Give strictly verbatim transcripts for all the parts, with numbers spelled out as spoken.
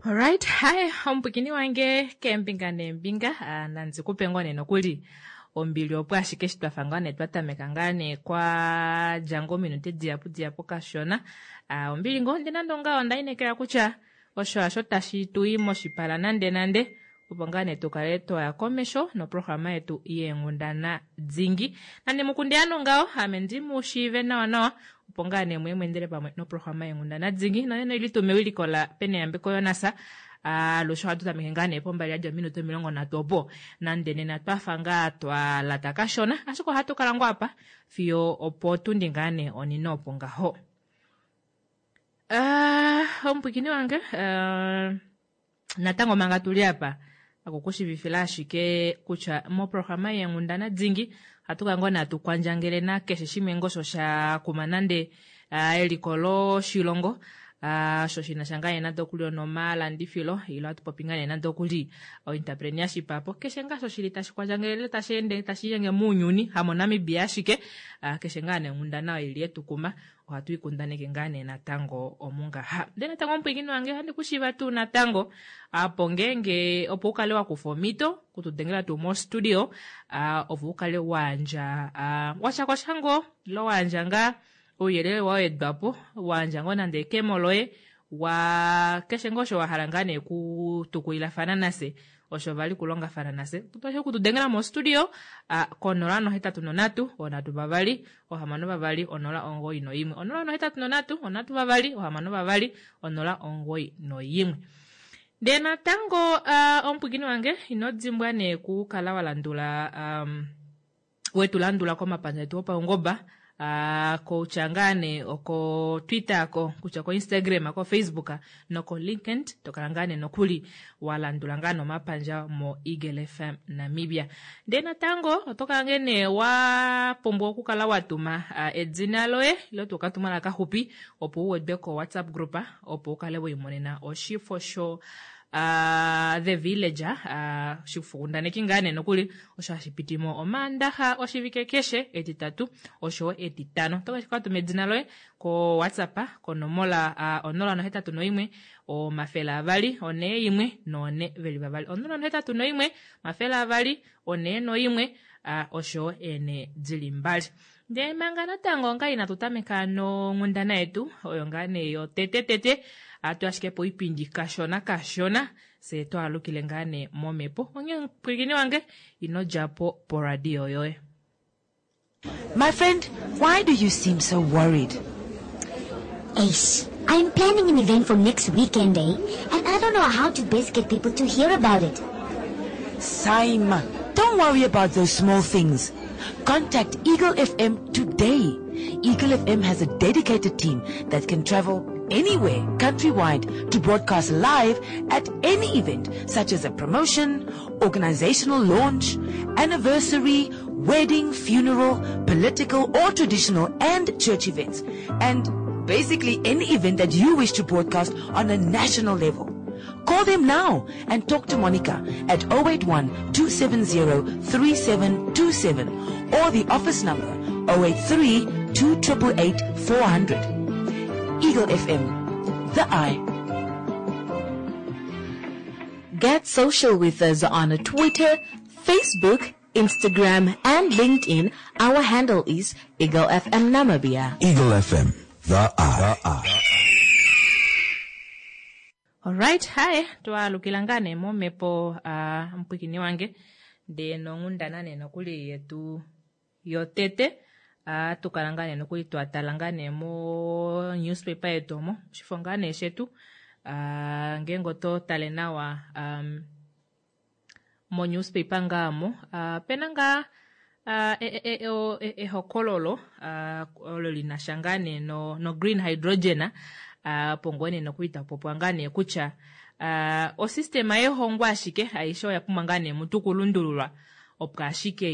Alright, hi omupwikini wange keembinga neembinga ah, nandi kupe ngoo nee nokuli ombili opo ashike eshi twafa ngaa nee twa tameka ngaa nee kwa dja ngoo ominute dihapu dihapu kashona. Ah, ombili ngoo ndi nande ongaho onda inekela kutya osho hasho tashi tu i moshipala nande nande opo ngaa nee tukale twaya komesho noprograma yetu yeenghundana dingi. Nande mukunde ano ngaho ame ndi mu shiive nawa nawa opo ngaa nee muye mweendele pamwe noprograma yeenghundana dingi nonena oili tuu mewiliko la Peneyambeko Jonas. Alushe ohatu tameke ngaa nee pombali yadja ominute omilongo nhatu opo nande nena twafa ngaa twa lata kashona ashike ohatu kala ngoo apa fiyo opo tundi ngaa nee onine opo ngaho. Uh, omupwikini wange uh, natango manga tuli apa akukushivifila ashike kutya moprograma yeenghundana dingi ohatu kala ngoo nee hatu kwandjangele nakeshe shimwe ngoo osho sha kuma nande uh, eliko loshilongo uh, osho shina sha ngaa nee nande okuli onomalandifilo ile ohatu popi ngaa nee nande okuli oentrepreneurship apo keshe ngaa osho shili tashi kwandjangele ile tashi ende tashi linyenge mounyuni hamoNamibia ashike uh, keshe ngaa nee onghundana oyo ili yetukuma ohatu ikundaneke ngaa nee natango omungaha. Ndele natango omupwiikini wange ohandi kushiiva tuu natango apo ngeenge opo ukale wakufa omhito kutudengela tuu mostudio uh, opo ukale wayandja uh, washakosha ngoo ile wayandja ngaa ouyelele wa wedwapo wayandja ngoo nande ekemo loye wa keshe ngoo osho wahala ngaa nee kutukulilafana nafye osho vali kulongafana nafye oto okutudengela mostudio uh, konola nohetatu nonhatu onhatu vavali ohamano vavali onola omugoyi noimwe onola nohetatu nonhatu onhatu vavali ohamano vavali onola omugoyi noimwe. Ndee natango uh, omupwiikini wange ino dimbwa nee kukala walandula um, wetu landula komapandja etu opaungoba uh, kutya ngaa nee oko Twitter ko kutya ko Instagram ko Facebook noko LinkedIn tokala ngaa nee nokuli walandula ngaa nomapandja mo Eagle F M Namibia. Ndee natango oto kala ngee nee wa pumbwa okukala watuma uh, edina loye ile tuu okatumwalaka kaxupi opo uwedwe ko WhatsApp group opo ukale wiimonena oshifo sho Uh, The Villager uh, oshifokundaneki ngaa nee nokuli osho hashi pitimo omaandaxa oshivike keshe etitatu oshowo etitano. Oto ka tuma edina loye ko WhatsApp konomola uh, onola nohetatu noimwe omafele avali onee imwe noone veli vavali onola nohetatu noimwe omafele avali onee noimwe uh, oshowo eene dili mbali. Ndee manga natango nga inatu tameka nonghundana yetu oyo ngaa nee yotete tete atu ashike po oipindi kashona kashona fye twaalukile ngaa nee momhepo onghee mupwiikini wange ino djapo poradio yoye. My friend, why do you seem so worried? Ace, I'm planning an event for next weekend, eh? And I don't know how to best get people to hear about it. Saima, don't worry about those small things. Contact Eagle F M today. Eagle F M has a dedicated team that can travel anywhere countrywide to broadcast live at any event such as a promotion, organizational launch, anniversary, wedding, funeral, political or traditional and church events, and basically any event that you wish to broadcast on a national level. Call them now and talk to Monica at oh eight one two seven zero three seven two seven or the office number oh eight three two eight eight four hundred. Eagle F M, the eye. Get social with us on Twitter, Facebook, Instagram, and LinkedIn. Our handle is Eagle F M Namibia. Eagle F M, the eye. The eye. Alright, hi, twaalukila ngaa nee momhepo uh, mupwiikini wange ndee nonghundana nee nokuli yetu yotete uh, tukala ngaa nee nokuli twatala ngaa nee mo newspaper yetu omo oshifo ngaa nee shetu uh, ngeenge oto tale nawa um, mo newspaper ngaa mo uh, pena ngaa uh, ehokololo e, e, e, olo linasha ngaa nee no, no green hydrogen uh, opo ngoo nee nokuli tapopwa ngaa nee kutya uh, osystema yehongo ashike aishe oya pumbwa ngaa nee mutu kulundululwa opo ashike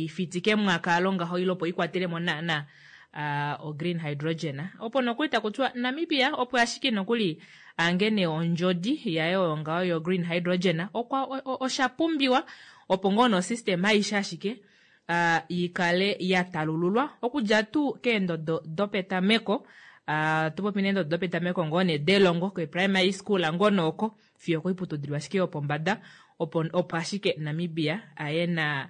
ifitike mwakalo ngaho ile opo ikwatelemo naana uh, o green hydrogen opo nokuli takutiwa Namibia opo ashike nokuli angene ondjodi yayo oyo ngaho yo green hydrogen okwa osha pumbiwa opo ngoo nosystema aishe ashike uh, ikale ya talululwa okudja tuu keendodo dopetameko uh, tupopi neendodo dopetameko ngoo nee delongo ke primary school ngoo nooko fiyo okoiputudilo ashike yopombada opo, opo ashike Namibia aye na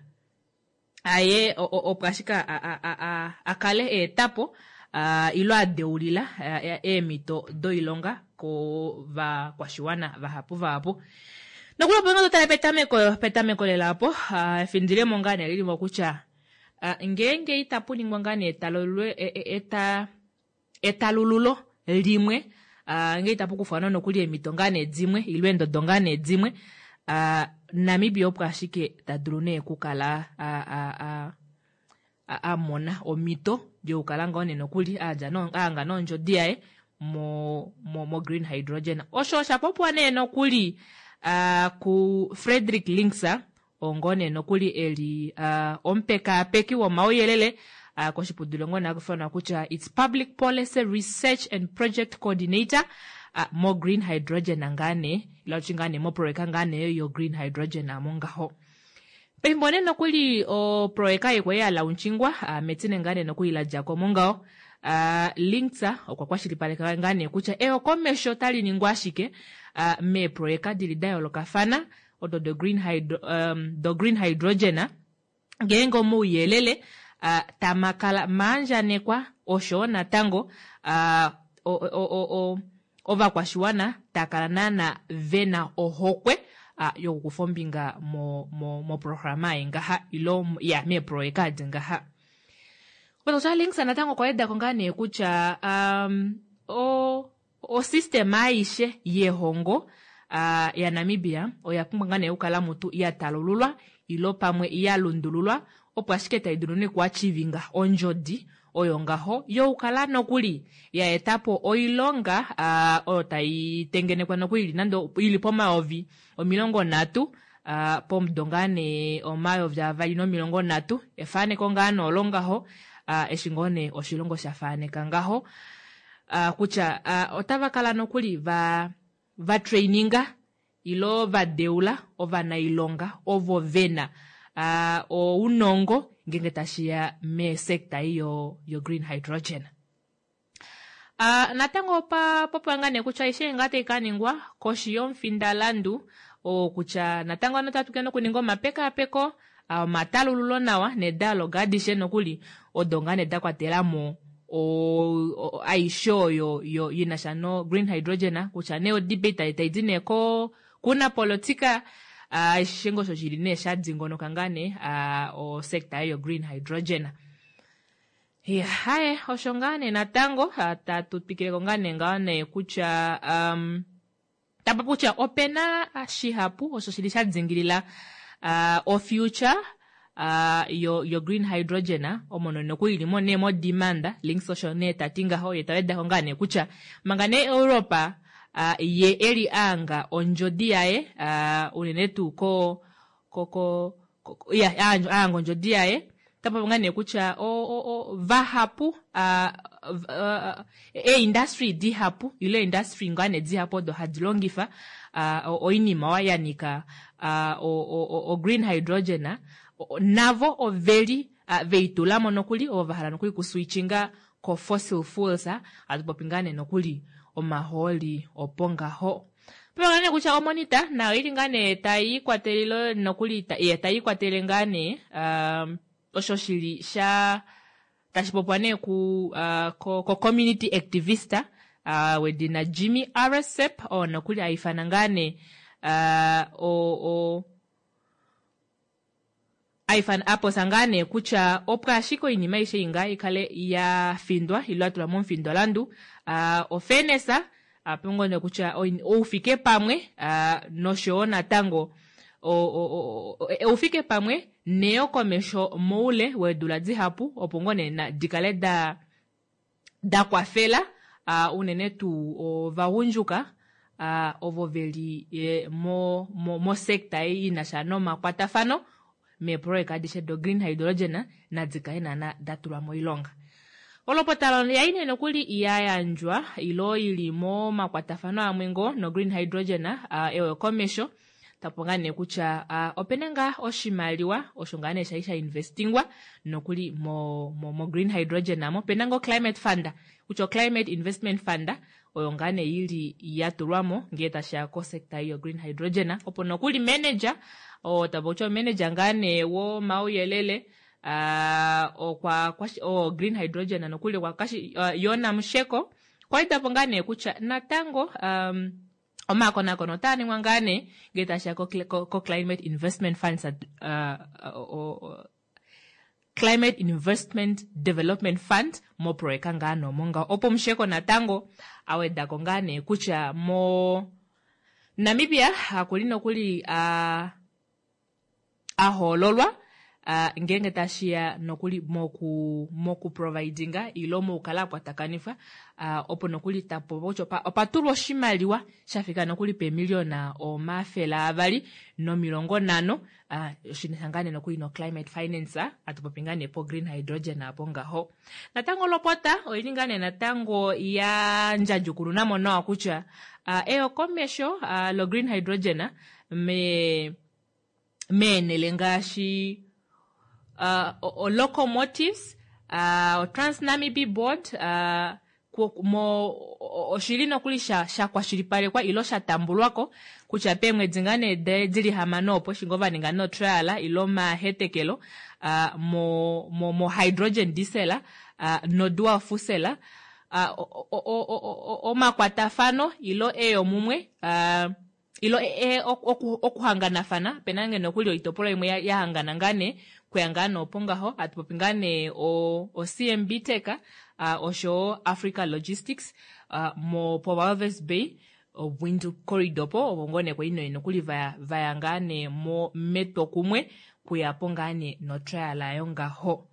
aye opo ashike a kale eetapo ilo a deulila eemhito doilonga kovakwashiwana vahapu vahapu. Nokuli opo nga totale petameko petameko lela opo efindilemo ngaa nee lilimo kutya ngeenge itapu ningwa ngaa nee eta etalululo limwe ngee itapu kufwa nokuli eemhito ngaa nee dimwe ile eendodo ngaa nee dimwe Namibia opo ashike ta dulu nee okukala a mona omhito yokukala ngoo nee nokuli aanga nondjodi yaye mo, mo, mo green hydrogen. Osho osha popiwa nee nokuli ku Frederick Linkser oo ngoo nee nokuli eli omupekaapeki womauyelele koshiputudilo ngoo nee haku kutya it's Public Policy Research and Project Coordinator mo green hydrogen ngaa nee ila tuti ngaa nee moprojeka ngaa nee yo green hydrogen amo ngaho. Pefimbo nee nokuli oprojeka ei kwali ya launchingwa metine ngaa nee nokuli la djako mongaho Linkser okwa kwashilipaleka ngaa nee kutya eyokomesho otali ningwa ashike meeprojeka dili da yoolokafana odo do green hydro, um, do green hydrogen ngeenge omauyelele tamakala maandjanekwa oshowo natango ovakwashiwana takala naana vena ohokwe yokukufa ombinga mo moprograma ei ngaha ilo ya meeprojeka adi ngaha. Kutya Linkser natango okwa wedako ngaa nee kutya um, o osystem aishe yehongo ya Namibia oya pumbwa ngaa nee okukala mutu ya talululwa ilo pamwe ya lundululwa opo ashike tai dulu nee okuachivinga ondjodi oyo ngaho yokukala nokuli ya etapo oilonga oyo tai tengenekwa nokuli nande ili pomayovi omilongo nhatu pomudo ngaa nee omayovi avali nomilongo nhatu efaneko ngaa nee olo ngaho eshi ngoo nee oshilongo sha faneka ngaho kutya otava kala nokuli va va traininga ilo va deula ovanailonga ovo vena ounongo ngenge tashiya mesekta ei yo, yo green hydrogen. Natango opa popiwa ngaa nee kutya aishe ngaa tai kaningwa koshi yomufindalandu oo kutya natango ano otatu kena okuninga omapekaapeko omatalululo nawa nedialogue adishe nokuli odo ngaa nee da kwatelamo aishe oyo yo inasha no green hydrogen kutya nee odebate tai di nee ko kuna politika aishe ngoo osho shili nee sha dingonoka ngaa nee osekta yo green hydrogen. Ya, haye osho ngaa nee natango tatu twikileko ngaa nee ngaho nee kutya um, tapa kutya opena shihapu osho shili sha dingilila uh, o future uh, yo, yo green hydrogen omo nokuli ilimo nee mo demand Links osho nee tati ngaho ye tawedako ngaa nee kutya manga nee Europa uh, ye eli anga ondjodi yaye uh, unene tuu ko ko ko ya anga ondjodi yaye tapopi ngaa nee kutya o, o, o, vahapu uh, uh, e-industry dihapu ile industry ngaa nee dihapu odo hadi longifa uh, oinima ya nyika uh, o, o, o green hydrogen navo oveli uh, veitulamo nokuli ovo vahala nokuli kuswitchinga ko fossil fuels hatu popi ngaa nee nokuli omahooli opo ngaho. Popi nee kutya omonita nayo ili ngaa nee tai ikwatelele nokuli tai ikwatele ngaa nee um, osho shili sha tashi popiwa nee ku, uh, ko, ko community activist uh, wedina Jimmy Aresep oo nokuli aifana ngaa nee uh, o, o aifana aposa ngaa nee kutya opo ashike oinima aishe inga ikale ya findwa ilo atulwa momufindolandu uh, ofairness apo nee kutya oufike pamwe uh, noshowo natango oufike pamwe neyokomesho moule weedula dihapu opo ngoo nee dikale da da kwafela uh, unene tuu ovagundjuka uh, ovo veli e, mo, mo, mo sekta ei inasha nomakwatafano meeprojeka adishe do green hydrogen nadikale naana datulwa moilonga. Olopota yai nee nokuli ya yandjwa ilo ili momakwatafano amwe ngoo no green hydrogen uh, eyokomesho tapo ngaa nee kutya uh, opena ngaa oshimaliwa osho ngaa nee shali sha investingwa nokuli mo, mo, mo green hydrogen amo opena ngoo climate fund kutya climate investment fund Oyo ngaa nee ili yatulwamo ngee tashiya ko sector yo green hydrogen, opo nokuli manager oo tapopi manager ngaa nee womauyelele okwa o green hydrogen nokuli Jona Musheko okwa etapo ngaa nee kutya natango omakonakono otaa ningwa ngaa nee ngee tashiya ko climate investment funds, Climate Investment Development Fund moproyeka ngaa nee ngaho, opo Musheko natango awedako ngaa nee kutya mo Namibia okuli nokuli ahoololwa ngeenge tashiya nokuli moku moku providinga ilo mokukala akwatakanifwa, opo nokuli tapopi kutya opatulwa oshimaliwa shafika nokuli peemiliona omafele avali nomilongo nhano, shinasha ngaa nee nokuli no climate finance, atupopi ngaa nee po green hydrogen apo ngaho. Natango olopota oili ngaa nee natango ya ndjadjukununamo nawa kutya eyokomesho lo green hydrogen me meenele ngaashi uh, locomotives, uh, Trans-Namib Board, uh, mo oshili nokuli sha shakwashilipalekwa ilo sha tambulwako kutya peemwedi ngaa nee dili hamano opo eshi ngoo vaninga no trial ilo mahetekelo uh, mo, mo, mo hydrogen diesel uh, no dual fuel, uh, omakwatafano ilo eyomumwe uh, ilo okuhanganafana pena ngee nokuli oitopolwa imwe yahangana ngaa nee kuya ngaa nee opo ngaho atupopi ngaa nee o C M B Tech uh, oshowo Africa Logistics uh, mo po Walvis Bay Windhoek Corridor po opo ngoo nee kwali nokuli vaya vaya ngaa nee mo metwokumwe kuyapo ngaa nee no trial ayo ngaho.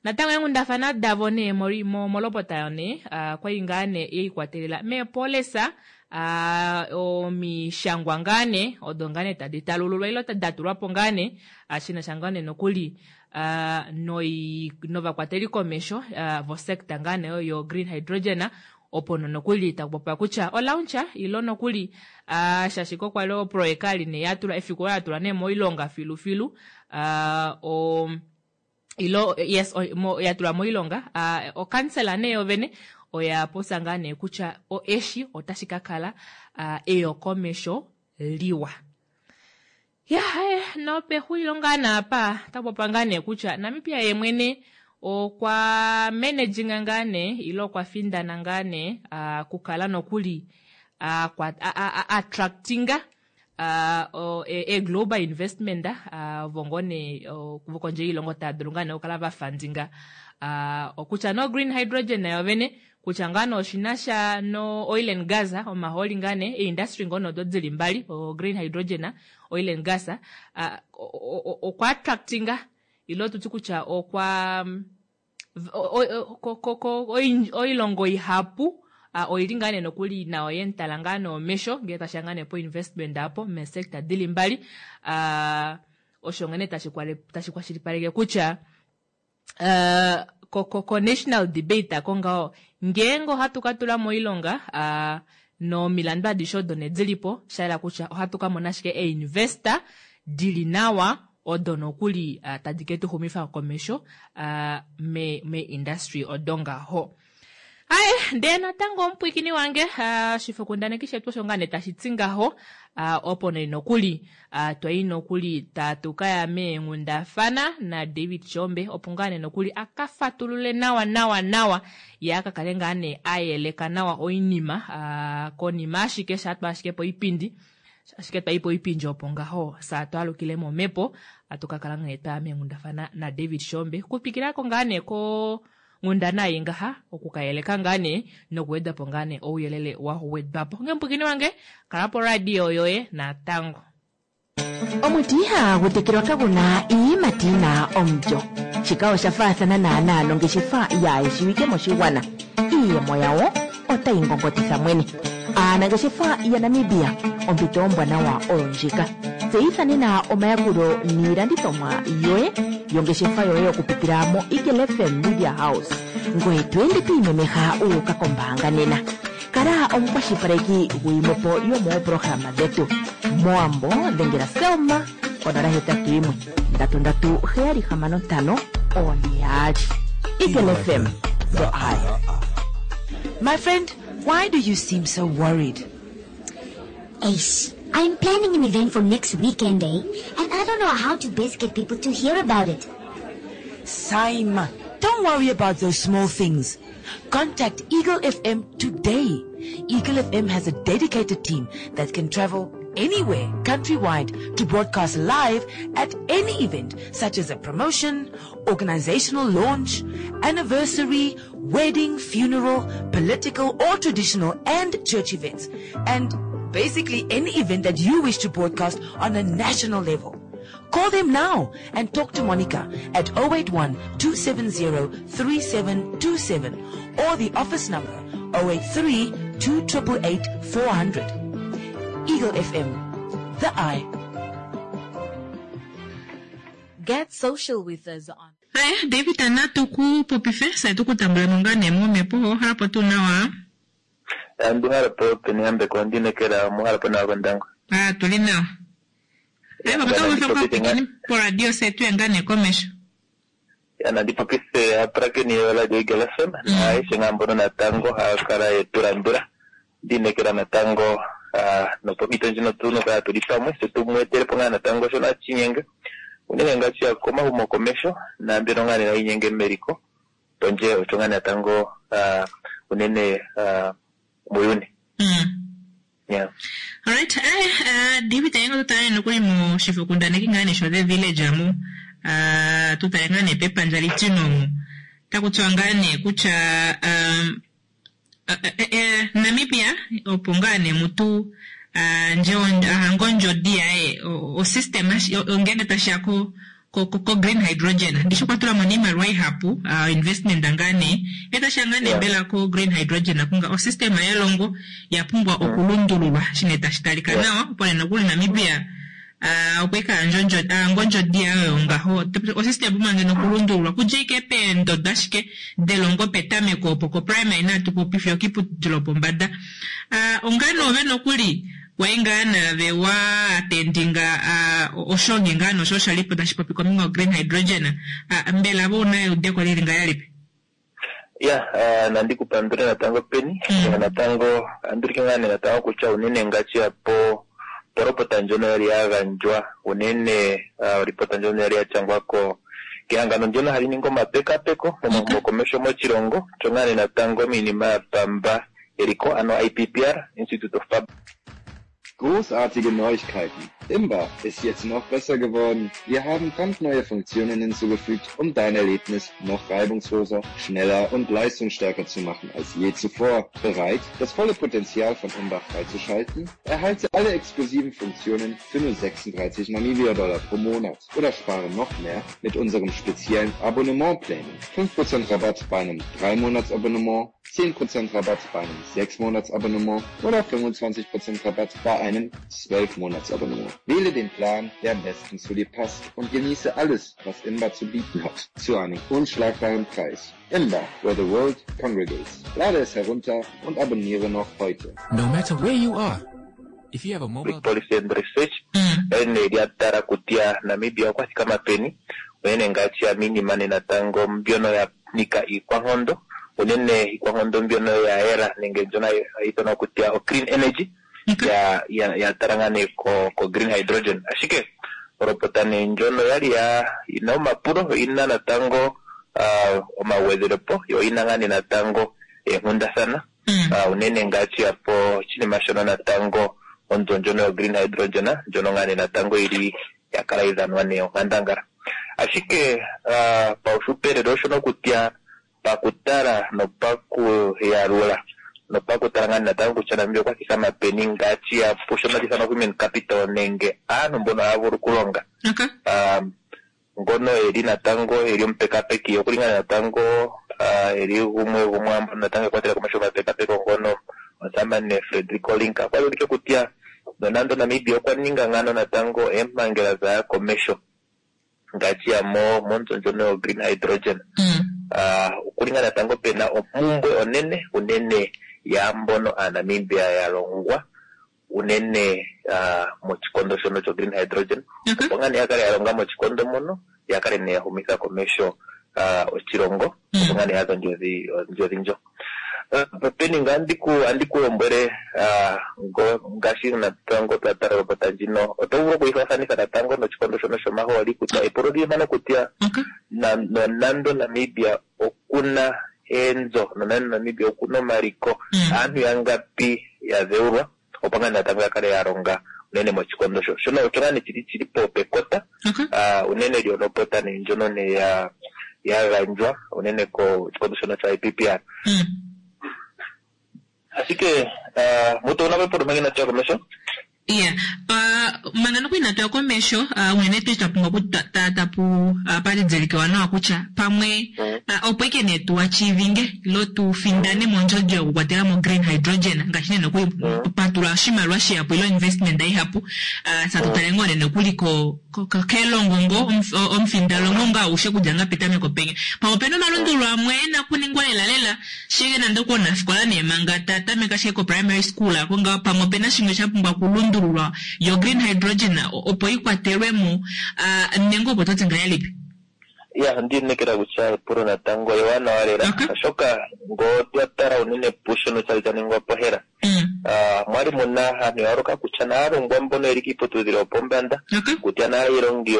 Natango eenghundafana davo nee molopota yo nee uh, kwali ngaa nee yeikwatelela meepolisa uh, omishangwa ngaa nee odo ngaa nee tadi talululwa ilo datulwapo ngaa nee shinasha ngaa nee nokuli uh, noi novakwateli komesho uh, vo sector ngaa nee yo green hydrogen, opo nokuli takupopiwa kutya olauncha ilo nokuli uh, shaashi kwali oproyeka ali nee yatulwa efiku olo yatulwa nee moilonga filufilu uh, o ilo yes o, mo, yatulwa moilonga uh, okansela nee yovene oya popya ngaa nee kutya eshi otashi ka kala uh, eyokomesho liwa. Ya nopexulilo ngaa naapa takupopiwa ngaa nee kutya Namibia yemwene okwa managinga ngaa nee ilo okwa findana ngaa nee uh, kukala nokuli uh, attractinga uh, e, e global investment uh, vongo nee uh, vokondje yoilongo tava dulu ngaa nee okukala vafundinga uh, okutya no green hydrogen nayo vene, kutya ngaa nee oshinasha no oil and gas, omahooli ngaa nee eindustry ngoo nee odo dili mbali, o green hydrogen, oil and gas, uh, okwa attractinga ilo tuti kutya okwa oilongo ihapu uh, oili ngaa nee nokuli nayo yemutala ngaa nee omesho ngee tashiya ngaa nee po investment apo meesector dili mbali, uh, osho nghene tashi kwashilipaleke kutya uh, ko, ko, ko national debate ako ngaho ngeenge ohatu ka tula moilonga uh, nomilandu adishe odo nee dilipo, shayela kutya ohatu ka mona ashike einvestor dili nawa odo nokuli uh, tadi ke tu xumifa komesho uh, me, me industry odo ngaho. Aye, ndee natango omupwiikini wange, uh, oshifokundaneki shetu osho ngaa nee tashi ti ngaho, uh, opo nee nokuli uh, twai nokuli tatu kaya meenghundafana na David Shombe, opo ngaa nee nokuli aka fatulule nawa nawa nawa ye aka kale ngaa nee ayeleka nawa oinima uh, konima ashike shatwa ashike poipindi ashike twai poipindi opo ngaho saa twalukile momepo atu kakala nghee twaya meenghundafana na David Shombe kupikilako ngaa nee ko nghundana ei ngaha okukayeleka ngaa nee nokuwedapo ngaa nee ouyelele wa wedwapo. Nge wange kala po radio yoye natango. Omuti ihagu tekelwa kaguna iiyimati yina omulyo. Shika osha faathana naanaa nongeshefa yaayeshiwike moshigwana. Iiyemo yawo otayi ngongotitha mwene. Aanangeshefa yaNamibia, ompito ombwanawa oyo ndjika. Tseyitha nena omayakulo niilandithomwa yoye yongeshefa yoye okupitila mo Eagle F M Media House, ngoye to ende twiimemeha uuka kombaanga nena. Kala omukwashilipaleki gwiimwepo yomoopolohalama dhetu. Mowambo dhengela Selma konola hetatu yimwe ndatu ndatu heyali hamano ntano one yaali. Eagle F M, the eye. My friend, Why do you seem so worried? Ace, I'm planning an event for next weekend, eh? And I don't know how to best get people to hear about it. Saima, don't worry about those small things. Contact Eagle F M today. Eagle F M has a dedicated team that can travel anywhere countrywide to broadcast live at any event such as a promotion, organizational launch, anniversary, wedding, funeral, political or traditional and church events, and basically any event that you wish to broadcast on a national level. Call them now and talk to Monica at oh eight one, two seven zero, three seven two seven or the office number oh eight three, two triple eight, four hundred. Eagle F M, the eye. Get social with us on. Hi, David, natu ku popife, sa tu kutambula munga ne mo mepo, harapo tu nawa. Andu harapo peni ambe kondi nekera mo harapo na kondango. Ah, tuli nawa. Ai, baba, to ufe kwa pikini po radio setu ya ngane komesho. Ya, nandi popise aprake ni yola jo Eagle F M, na aishe ngambono na tango, hakara yeturandura. Ndinekera na tango, ah, no popito njino tuno kaya tulipamwe, se tumwetere ponga na tango shona chinyenge. Unene ngachi ya koma humo komesho, na mbino ngane na inyenge meriko. Tonje, ochongane na tango, ah, unene, ah, muyuni. Mm. Yeah. All right. Eh, uh, David, ayengo tutale nokuli mu shifukundane kingane sho the village amu. Uh, tutale ngane pepa njali tino mu. Takutswangane kucha, um, uh, eh, eh, Namibia, opongane mutu, uh, nje uh, ngonjo dia, eh, o, o system, o, ongene tashako, ko, ko, ko green hydrogen. Ndisho kwa tula monima rwai hapu, uh, investment angane. Eta shangane Yeah. bela ko green hydrogen akunga. O system ya longo ya pumbwa mm. okulundululwa. Shine tashitalika Yeah. nawa, pole nokuli Namibia, uh, okweka njonjo, uh, ngonjo dia oyo ngaho. O system buma ngeno okulundululwa. Ku J K P ndo dashike, de longo petameko opo ko primary na tupo pifyo kiputilo pombada. Uh, ongano ove nokuli, waingana vewa attendinga, uh, oshongi ngano social lipo tashipopi komingo green hydrogen. Uh, mbela bo nayo udeko lili ngayalipe. Ya, uh, nandi kupandure natango peni. Mm. Ya, natango, andurike ngane natango kucha unene ngachi ya po, poropota njono yali yagandjwa, unene, uh, ripota njono yali yachangwako kehangano ndyono hali ningi omapekapeko momahumokomesho moshilongo, chongane natango miinima ya pamba eliko, ano I P P R, Institute of Public. Großartige Neuigkeiten. Imba ist jetzt noch besser geworden. Wir haben brandneue Funktionen hinzugefügt, um dein Erlebnis noch reibungsloser, schneller und leistungsstärker zu machen als je zuvor. Bereit, das volle Potenzial von Imba freizuschalten? Erhalte alle exklusiven Funktionen für nur sechsunddreißig Namibia-Dollar pro Monat oder spare noch mehr mit unserem speziellen Abonnementplänen. fünf Prozent Rabatt bei einem drei-Monats-Abonnement, zehn Prozent Rabatt bei einem sechs-Monats-Abonnement oder fünfundzwanzig Prozent Rabatt bei einem zwölf-Monats-Abonnement. Wähle den Plan, der am besten zu dir passt und genieße alles, was Imba zu bieten hat, zu einem unschlagbaren Preis. Imba, where the world congregates. Lade es herunter und abonniere noch heute. No matter where you are, if you have a mobile Policy and Research, Mm. ene lya tala kutya Namibia okwa thikama peni, unene ngaashi ya minima nena tango mbyono ya nika iikwankondo, unene iikwankondo mbyono ya era nenge mbyono hayi ithanwa kutya o clean energy, Okay. ya, ya, ya tala ngaa nee ko, ko green hydrogen. Ashike, olopota nee ndjono yali ya, ina omapulo, ina natango, ah, omagwedhelepo, yo ina ngaa nee natango eenkundathana. Mm. Ah, unene ngaashi ya po oshinima shono natango onzo ndjono yo green hydrogen, ndjono ngaa nee natango ili ya kala idhanwa nee onkandangala. Ashike, ah, paushupelelo oshono kutya pakutala nopakuyalula nopakutala ngaa natango kutya Namibia okwa thikama peni ngaashi ya po shono hashi ithanwa human capital nenge aantu mbono haya vulu okulonga. Okay. Ah, ngono eli natango eli omupekapeki okuli ngaa natango, ah, eli gumwe gumwe mbono natango ekwatela komesho omapekapeko ngono omusamane Frederico Linka. Okwa ulike kutya nonando Namibia okwa ninga ngano natango eempangela dhaya komesho ngaashi ya mo monzo ndjono yo green hydrogen. Mm. Ah, okuli ngaa natango pena ompumbwe onene unene yaambono aaNamibia ya longwa unene, ah, moshikondo shono sho green hydrogen. Okay. Opo ngaa nee ya kale ya longa moshikondo mono, ya kale nee ya humitha komesho, ah, oshilongo. Mm. Opo ngaa nee ya dha ondjodhi, ondjodhi ndjo. Peni nga andiku andikulombwele ngaashi natango twa tala olopota ndjino oto vulu okuyifaafanitha natango noshikondo shono shomahooli kutya epulo lili mpano kutya nonando Namibia okuna eenzo nonando Namibia okuna omaliko aantu yangapi ya dheulwa opo ngaa natango ya kale ya longa unene moshikondo sho shono osho ngaa nee shili shili po pekota unene lyolopota nee ndjono nee ya ya gandjwa unene koshikondo shono sha I P P R. Ashike mutu una pepo mangina tuya komesho? Yeah. Uh, manga noku ina tuya komesho, uh, unene tu twapumbwa ku tapu uh, palidzelikewa nawa kutya pamwe uh, opo ike nee tuachivinge ilo tufindane mondjodjo yokukwatela mo green hydrogen ngaashi nee noku patula oshimaliwa shihapu ilo investment ihapu uh, satutale ngoo nee nokuli ko kelongo ngo omufindalongo nga aushe kudja nga petameko penya pamwe opena omalundululo amwe ena kuningwa lela lela shike nande okunafikola nee manga tatameka shike ko primary school ako nga pamwe opena shimwe shapumbwa kulundululwa yo green hydrogen opo ikwatelwemo uh, nenge opo toti ngahelipi? Ya ndinekela kutya epulo natango ewanawa lela oshoka ngo twatala unene pushono chali chaningwa pohela mwali muna aantu yayooloka kutya naalongwa mbono yeli kiiputudhilo yopombanda kutya naailongi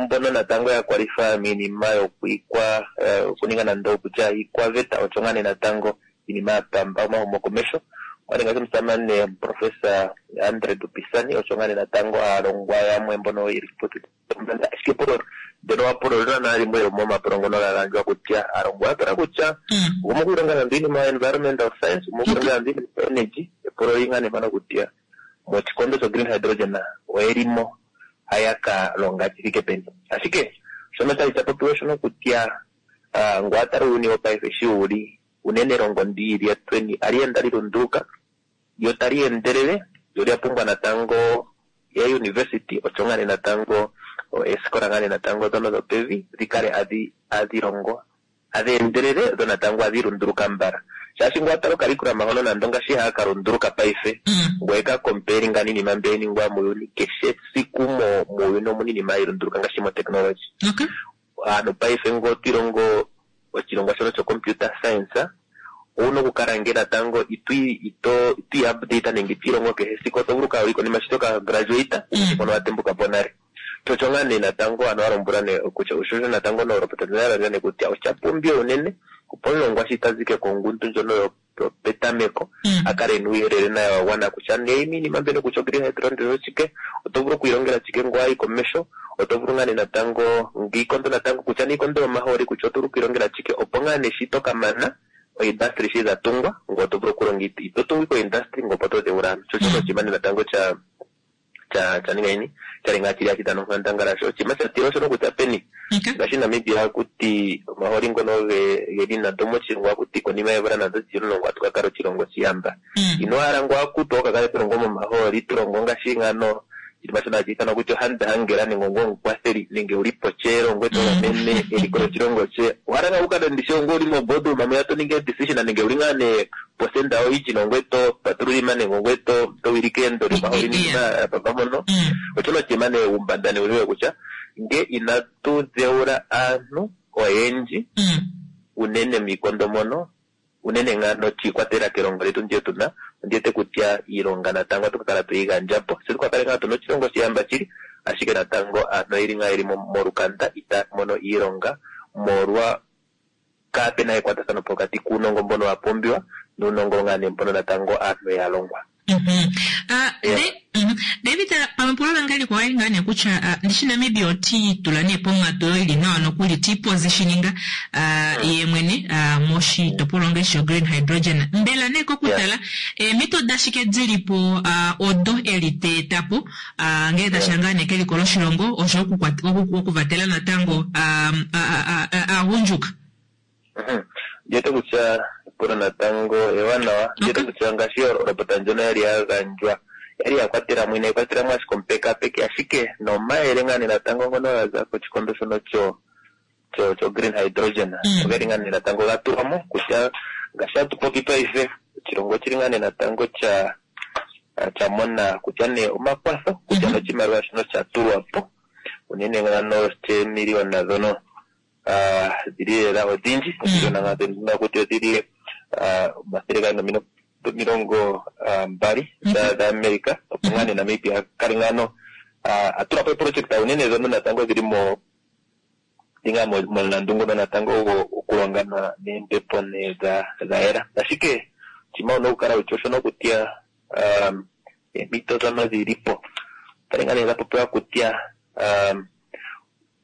mbono natango ya kwalify miinima yokuikwa okuninga nando okutya iikwaveta osho ngaa nee natango iinima ya pamba omahumokomesho. Mwali ngaashi omusamane Professor Andre Dupisani osho ngaa nee natango aalongwa yamwe mbono yeli kiiputudhilo yopombanda. Ashike epulo ndyono wapulo olina limwe lomomapulo ngono ga gandjwa kutya aalongwa yatala kutya gumwe okwiilonga nando iinima ya environmental science, gumwe okwiilonga nando iinima ya energy. Epulo oli ngaa nee mpano kutya moshikondo sho green hydrogen oyelimo haya ka longa shi thike peni. Ashike shono chali sha popiwa shono kutya ngo atala uuyuni wopaife shi wuli unene elongo ndi lyetweni ali enda lilunduluka lyo tali endelele lyo lya pumbwa natango ya university osho ngaa nee natango esikola ngaa nee natango dhono dhopevi dhikale adhi adhilongo adhi endelele dho natango adhi lunduluka mbala shaashi ngo atala okalikulama hono nando ngaashi haya ka lunduluka paife ngoye ka compare nga niinima mbi hayi ningwa muuyuni keshe siku muuyuni omuna iinima hayi lunduluka ngaashi mo technology. Aantu paife ngo twilongo oshilongwa shono sho computer science owuna okukala nge natango itwi ito itwi update nenge itwiilongo kehe esiku oto vulu okukala wuli konima shi toka graduate mpono watembuka po nale. Chocho ngaa nee natango ano walombwela nee kutya osho natango noolopota dha nee kutya osha pumbiwa unene opo omulongwa shi tazike kongundu ndjono yopetameko a kale ena uuyelele naye wa gwana kutya nee iinima mbyono kutya green hydrogen oshike oto vulu okwiilongela shike ngo wayi komesho oto vulu ngaa nee natango ngiikondo natango kutya niikondo yomahooli kutya oto vulu okwiilongela shike opo ngaa nee shi tokamana oindustry shi dha tungwa ngo oto vulu okulonga ito tungu iko industry ngo opo to dheula aantu. Sho shono oshinima nee natango cha cha cha ninga nini chali ngaa chili hashi dhana onkandangala sho oshinima sha tila oshono kutya peni ngaashi Namibia hakuti omahooli ngono geli nando moshilongo hakuti konima yeemvula nando dhili omulongo ohatu ka kala oshilongo shiyamba. Ino hala ngo hakuti oka kale tulongo momahooli tulongo ngaashi ngano oshinima shono hashi ithanwa kutya ohandhangela nenge ongo omukwatheli nenge uli pocheelo ngoye to gamene eliko lyoshilongo she. Owahala ngaa wukale ndishi ongo uli mo boardroom mwiya to ningi decision nenge uli ngaa nee posenda oyindji nongwe to patululima nenge ongwe to to wilike endo lyomahooli niinima ya pamba mpono. Oshono oshinima nee uumbanda nee uliwe kutya nge inatu dheula aantu oyendji unene miikondo mono unene ngaa shiikwatelela kelongo lyetu ndyo tuna ondiwete kutya iilonga natango ohatu ka kala tweyi gandja po tse tuka kale ngaa tuna oshilongo shiyamba shili ashike natango aantu oyeli ngaa yeli molukanda itaya mono iilonga molwa kaapena ekwatathano pokati kuunongo mbono wa pumbiwa nuunongo ngaa nee mbono natango aantu ya longwa. David, pamwe epulo lange likwawo oli ngaa nee kutya ndishi Namibia oti itula nee ponghatu oyo ili nawa nokuli ti positioninga ye mwene moshitopolwa ngaashi sho green hydrogen. Mbela nee kokutala eemhito dashike dilipo odo eli teetapo ngele tashiya ngaa nee keliko loshilongo osho okuvatela natango aagundjuka? Ndiwete kutya epulo natango ewanawa. Ndiwete kutya ngaashi olopota ndjono yali ya gandjwa yali ya kwatela mo inayi kwatela mo ashike omupekapeki ashike nomayele ngaa nee natango ngono ga za koshikondo shono cho cho cho green hydrogen ogeli ngaa nee natango ga tulwa mo kutya ngaashi hatu popi paife oshilongo oshili ngaa nee natango cha cha mona kutya nee omakwatho kutya noshimaliwa shono sha tulwa po unene ngano sheemiliyona dhono dhili lela odhindji omiliyona ngaa kutya odhili omathele gaali nomilongo mbali dhaAmerica opo ngaa nee Namibia kale ngaano a tula po eeproject unene dhono natango dhili mo dhinga momulandu ngono natango okulonga neembepo nee dha yela. Ashike oshinima wuna okukala wutya osho nokutya eemhito dhono dhilipo otali ngaa nee dha popiwa kutya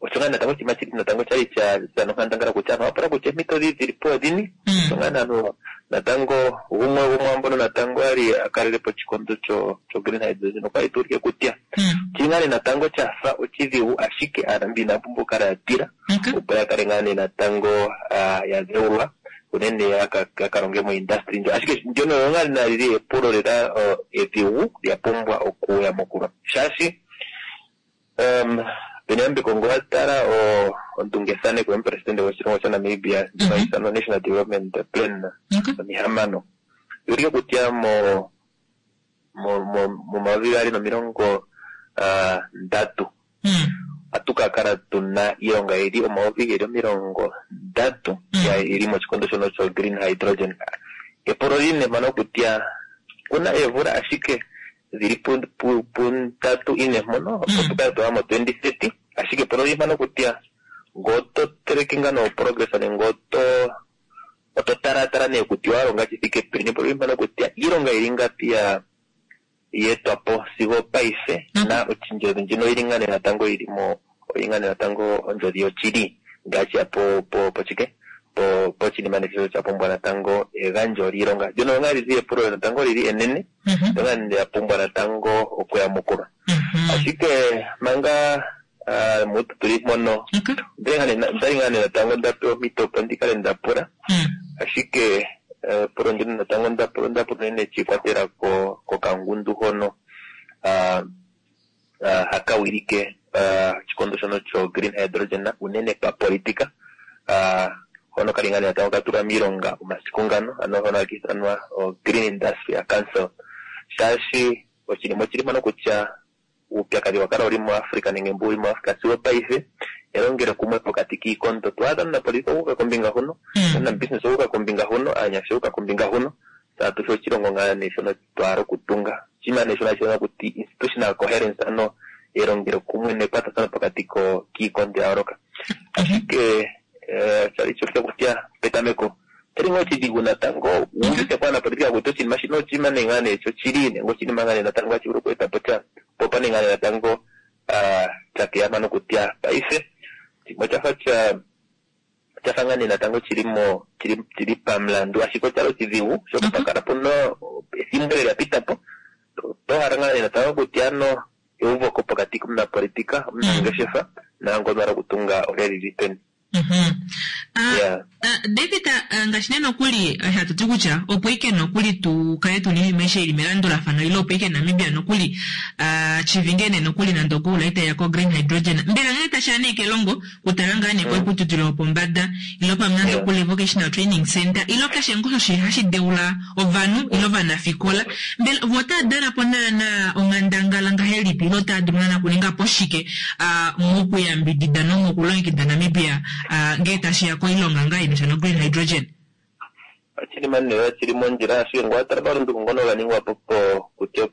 osho ngaa natango oshinima shili natango shali sha dhana onkandangala kutya aantu ohaya pula kutya eemhito dhi dhilipo odhini. Osho ngaa nee natango gumwe gomwaambono natango ali a kalelepo oshikondo sho green hydrogen okwali tuulike kutya oshili ngaa nee natango shafa oshidhigu, ashike aanamibia inaya pumbwa okukala ya tila opo ya kale ngaa nee natango ya dheulwa unene ya ka longe mo industry ndjo. Ashike ndyono oyo ngaa nee lili epulo lela edhigu lya pumbwa okuyamukulwa, shaashi Peneyambeko ngo watala ondungethaneko yomupresidente goshilongo shaNamibia ndjono hayi ithanwa National Development Plan omihamano yuulike kutya mo momayovi gaali nomilongo ndatu ohatu ka kala tuna iilonga yili omayovi geli omilongo ndatu yili moshikondo shono sho green hydrogen. Epulo lili nee mpano kutya kuna eemvula ashike dhili pundatu ine mpono opo tukale twaya mo twenty thirty, ashike epulo lili mpano kutya ngee oto teleke ngaa no progress nenge oto oto talatala nee kutya owalonga shi thike peni, epulo lili mpano kutya iilonga yili ngapi ya yeetwapo sigo opaife na ondjodhi ndjino oyili ngaa nee natango yili mo oyili ngaa nee natango ondjodhi yoshili ngaashi ya po po poshike po poshinima nee sha pumbwa natango egandjo lyiilonga. Ndyono ngaa lili epulo natango lili enene ndyoka lya pumbwa natango okuyamukulwa. Ashike manga mutu tuli mpono ondali ngaa nee natango ndapewa ompito opo ndikale ndapula, ashike epulo ndino natango ndapula ondapula unene shiikwatelela kokangundu hono haka wilike oshikondo shono sho green hydrogen unene papolitika hono kali ngaa nee natango katulwa miilonga omasiku ngano, ano hono haka ithanwa Green Industry Council, shaashi oshinima oshili mpano kutya uupyakadhi wa kala uli muAfrica nenge mbu uli muAfrica sigo paife elongelo kumwe pokati kiikondo. Twaadha omunapolitika okuuka kombinga huno, omunabusiness okuuka kombinga huno, aanyasha okuuka kombinga huno, tatu shi oshilongo ngaa nee shono twahala okutunga. Oshinima nee shono hashi ithanwa kuti institutional coherence, ano elongelo kumwe nekwatathano pokati kiikondo ya yooloka. Ashike oshali sho kutya petameko oshali ngaa oshidhigu natango wuuvite ko aanapolitika kutya oshinima shino oshinima nee ngaa nee shoshili nenge oshinima ngaa nee natango hashi vulu oku eta po sha, po opo nee ngaa nee natango sha keya mpano kutya paife oshinima oshafa sha oshafa ngaa nee natango shili mo shili pamulandu, ashike oshali oshidhigu oshoka opwa kala puna ethimbo lela lya pita po. Oto hala ngaa nee natango kutya ano euvoko pokati komunapolitika, omunangeshefa naangono a hala okutunga olya lili peni. Yeah. David, ngaashi nee nokuli hatu ti kutya opo ike nokuli tu kale tuna iinima aishe ili melandulafano ile opo ike Namibia nokuli chivinge nee nokuli nande ogoal itayiya ko green hydrogen, mbela ngele tashiya nee kelongo kutala ngaa nee koiputudhilo yopombada ile pamwe nande okuli vocational training center ile keshe ngoo osho hashi deula ovanhu ile ovanafikola, mbela vo otava dana po naana onghandangala ngahelipi ile otava dulu naana okuninga po shike mokuyambidida nomokulongekida Namibia ngee tashiya koilonga ngaa inasha no green hydrogen? Oshinima nee shili mondjila, ashike ngele owatala omalunduluko ngono ga ningwa po kutya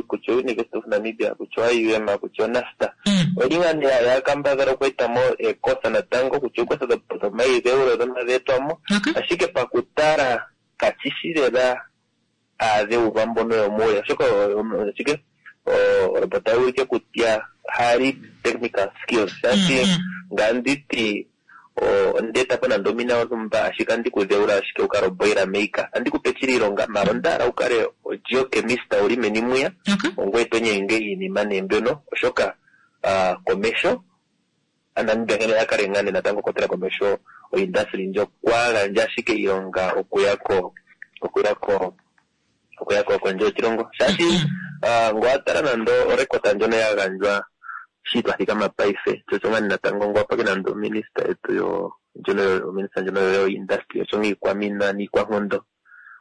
kutya University of Namibia, kutya I U M, kutya NASTA, oyili ngaa nee ya kambadhala oku eta mo eekosa natango, kutya eekosa dhomaidheulo ndhono dhe etwa mo, ashike pakutala kashi shi lela aadheulwa mbono yomuule, oshoka shike olopota oya ulike kutya hali technical skills, shaashi nganditi ondeeta po nande omina yontumba ashike andi ku dheula ashike wu kale oboiler maker, andi ku pe shili iilonga maala onda hala wu kale ogeochemist wuli meni mwiya ongoye to nyenge iinima nee mbyono, oshoka komesho Namibia nkene a kale ngaa nee natango kwatela komesho oindustry ndjo kwa gandja ashike iilonga okuya ko okuya ko okuya ko kondje yoshilongo, shaashi ngele owatala nande orekota ndjono ya gandjwa shi twa thikama paife, sho osho ngaa nee natango ngele owapake nande ominista yetu yo ndjono ominista ndjono yo industry osho ngaa iikwamina niikwankondo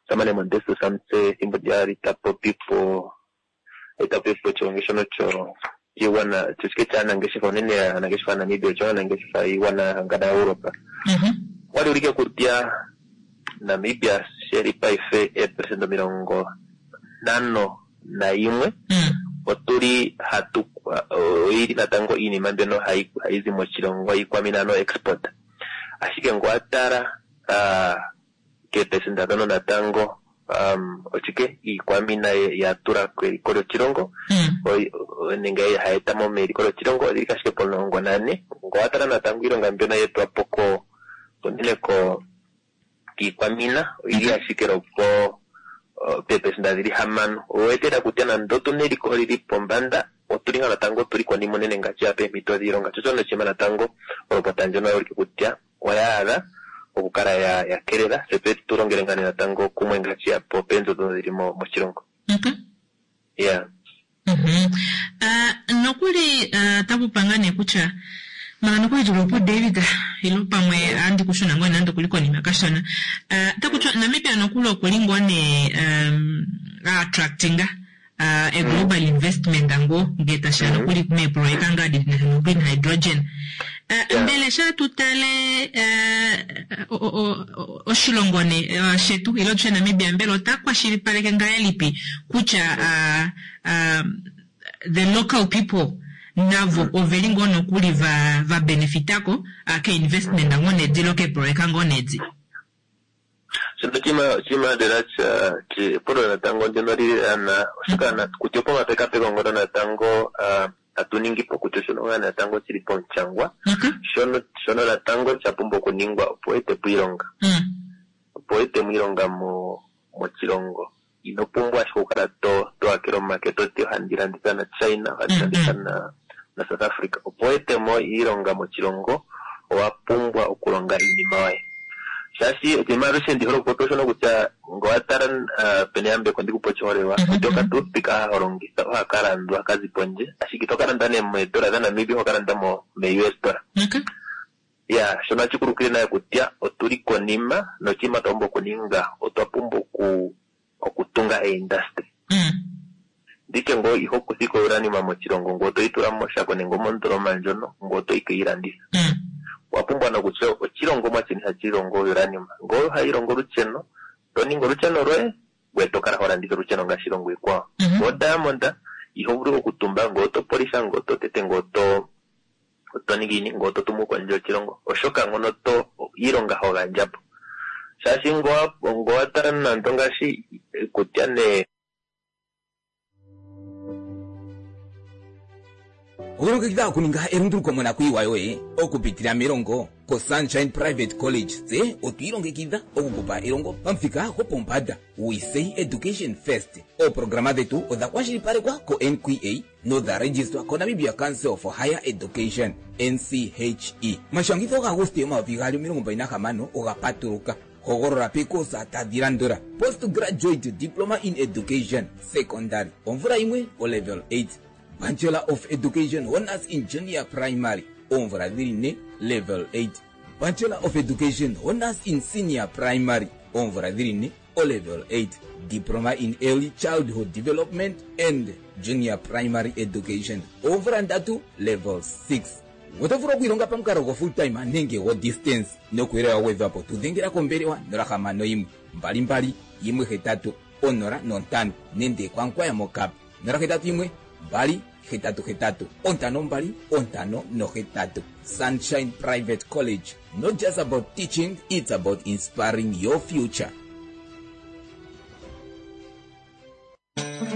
omusamane Modestus Amutse ethimbo lyali ta popi po ta popi po oshigongi shono shigwana shike shaanangeshefa unene aanangeshefa yaNamibia osho aanangeshefa yiigwana ya hangana yaEuropa, okwali ulike kutya Namibia Sheli paife eeperesenda omilongo nhano naimwe otuli hatu oili natango iinima mbyono hayi hayi zi moshilongo iikwamina no export. Ashike ngele owa tala keeperesenda dhono natango um, ochike iikwamina ya tula keliko lyoshilongo nenge hayi eta mo meliko lyoshilongo odhili ashike pomulongo nane. Ngele owa tala natango iilonga mbyono ye etwa po ko unene ko kiikwamina oyili ashike lopo peeperesenda dhili hamano. Owetela kutya nande otuna eliko lili pombanda otuli ngaa natango tuli konima unene ngaashi ya peempito dhiilonga. Sho shono oshinima natango olopota ndjono oya ulike kutya oya adha okukala ya ya kelela tse tu longele ngaa natango kumwe ngaashi ya po peenzo dhono dhili moshilongo. Yeah. Nokuli taku ngaa nee kutya manga nokuli tuli opo David ilo pamwe andi kushuna ngoo nande okuli konima kashona. Takutya Namibia nokuli okuli ngoo nee attractinga a global investment ngoo ngee tashiya nokuli meeproyeka ngaa dina no green hydrogen. Mbele sha tutale oshilongo ne shetu ilo tushe Namibia mbela ota kwashilipaleke ngahelipi kutya the local people navo oveli ngoo nokuli va va benefitako ke investment ngoo nedilo keeproyeka ngoo nedi. Shono chima lela cha epulo natango ndyono lili ana oshoka kutya opo omapekapeko ngono natango atu ningi po kutya shono ngaa natango shili pomushangwa shono shono natango sha pumbwa okuningwa opo ete po iilonga opo ete mo iilonga mo moshilongo. Ino pumbwa ashike okukala to to akele omake toti ohandi landitha na China, ohandi landitha na na South Africa. Opo ete mo iilonga moshilongo owa pumbwa okulonga iinima yoye. Shaashi oshinima alushe ndi hole okupopya oshono kutya ngele owa tala pena eyambeko ndikupe oshiholelwa kutya okatoothpick ha longitha ohaka landwa kazi pondje, ashike ito ka landa nee meedola dhaNamibia, oho ka landa mo me U S dollar. Ya, shono ohashi kulukile naye kutya otuli konima noshinima twa pumbwa okuninga otwa pumbwa oku okutunga eindustry. Nditye ngoo iho kuthika uranium moshilongo ngoo toyi tula moshako nenge mondoloma ndjono ngoo toyi keyi landitha. Owa pumbwa nokutya oshilongomwa shini hashi longo uranium. Ngoo ohayi longo olusheno, to ningi olusheno lwoye ngoye to kala ho landitha olusheno ngaashi iilongo iikwawo. Ngoo diamond iho vulu okutumba ngoo to polisha ngoo to tete ngoo to oto ningi ini ngoo to tumu kondje yoshilongo oshoka ngono to iilonga ho gandja po. Shaashi ngoo wa tala nando ngaashi kutya nee Okulongekidha okuninga elunduluko monakuyiwa yoye okupitila melongo ko Sunshine Private College tse otwiilongekidha okukupa elongo pamuthika gopombanda. We say education first. Ooprograma dhetu odha kwashilipalekwa ko N Q A nodha registwa ko Namibia Council for Higher Education N C H E. Mashangitho ga Aguste omayovi gaali omilongo mbali nahamano oga patuluka. Hogolola pekosa tadhi landula: Postgraduate Diploma in Education Secondary omvula yimwe o level eight, Bachelor of Education Honors in Junior Primary oomvula dhili ne level eight, Bachelor of Education Honors in Senior Primary oomvula dhili ne o level eight, Diploma in Early Childhood Development and Junior Primary Education oomvula ndatu level six. Oto vulu okwiilonga pamukalo go full time nenge go distance nokuyelela wa gwedhwa po tudhengela kombelewa nola hamano yimwe mbali mbali yimwe hetatu onola nontano nenge kwankwaya mokap nola hetatu yimwe mbali hetatu hetatu ontano mbali ontano nohetatu. Sunshine Private College, not just about teaching, it's about inspiring your future.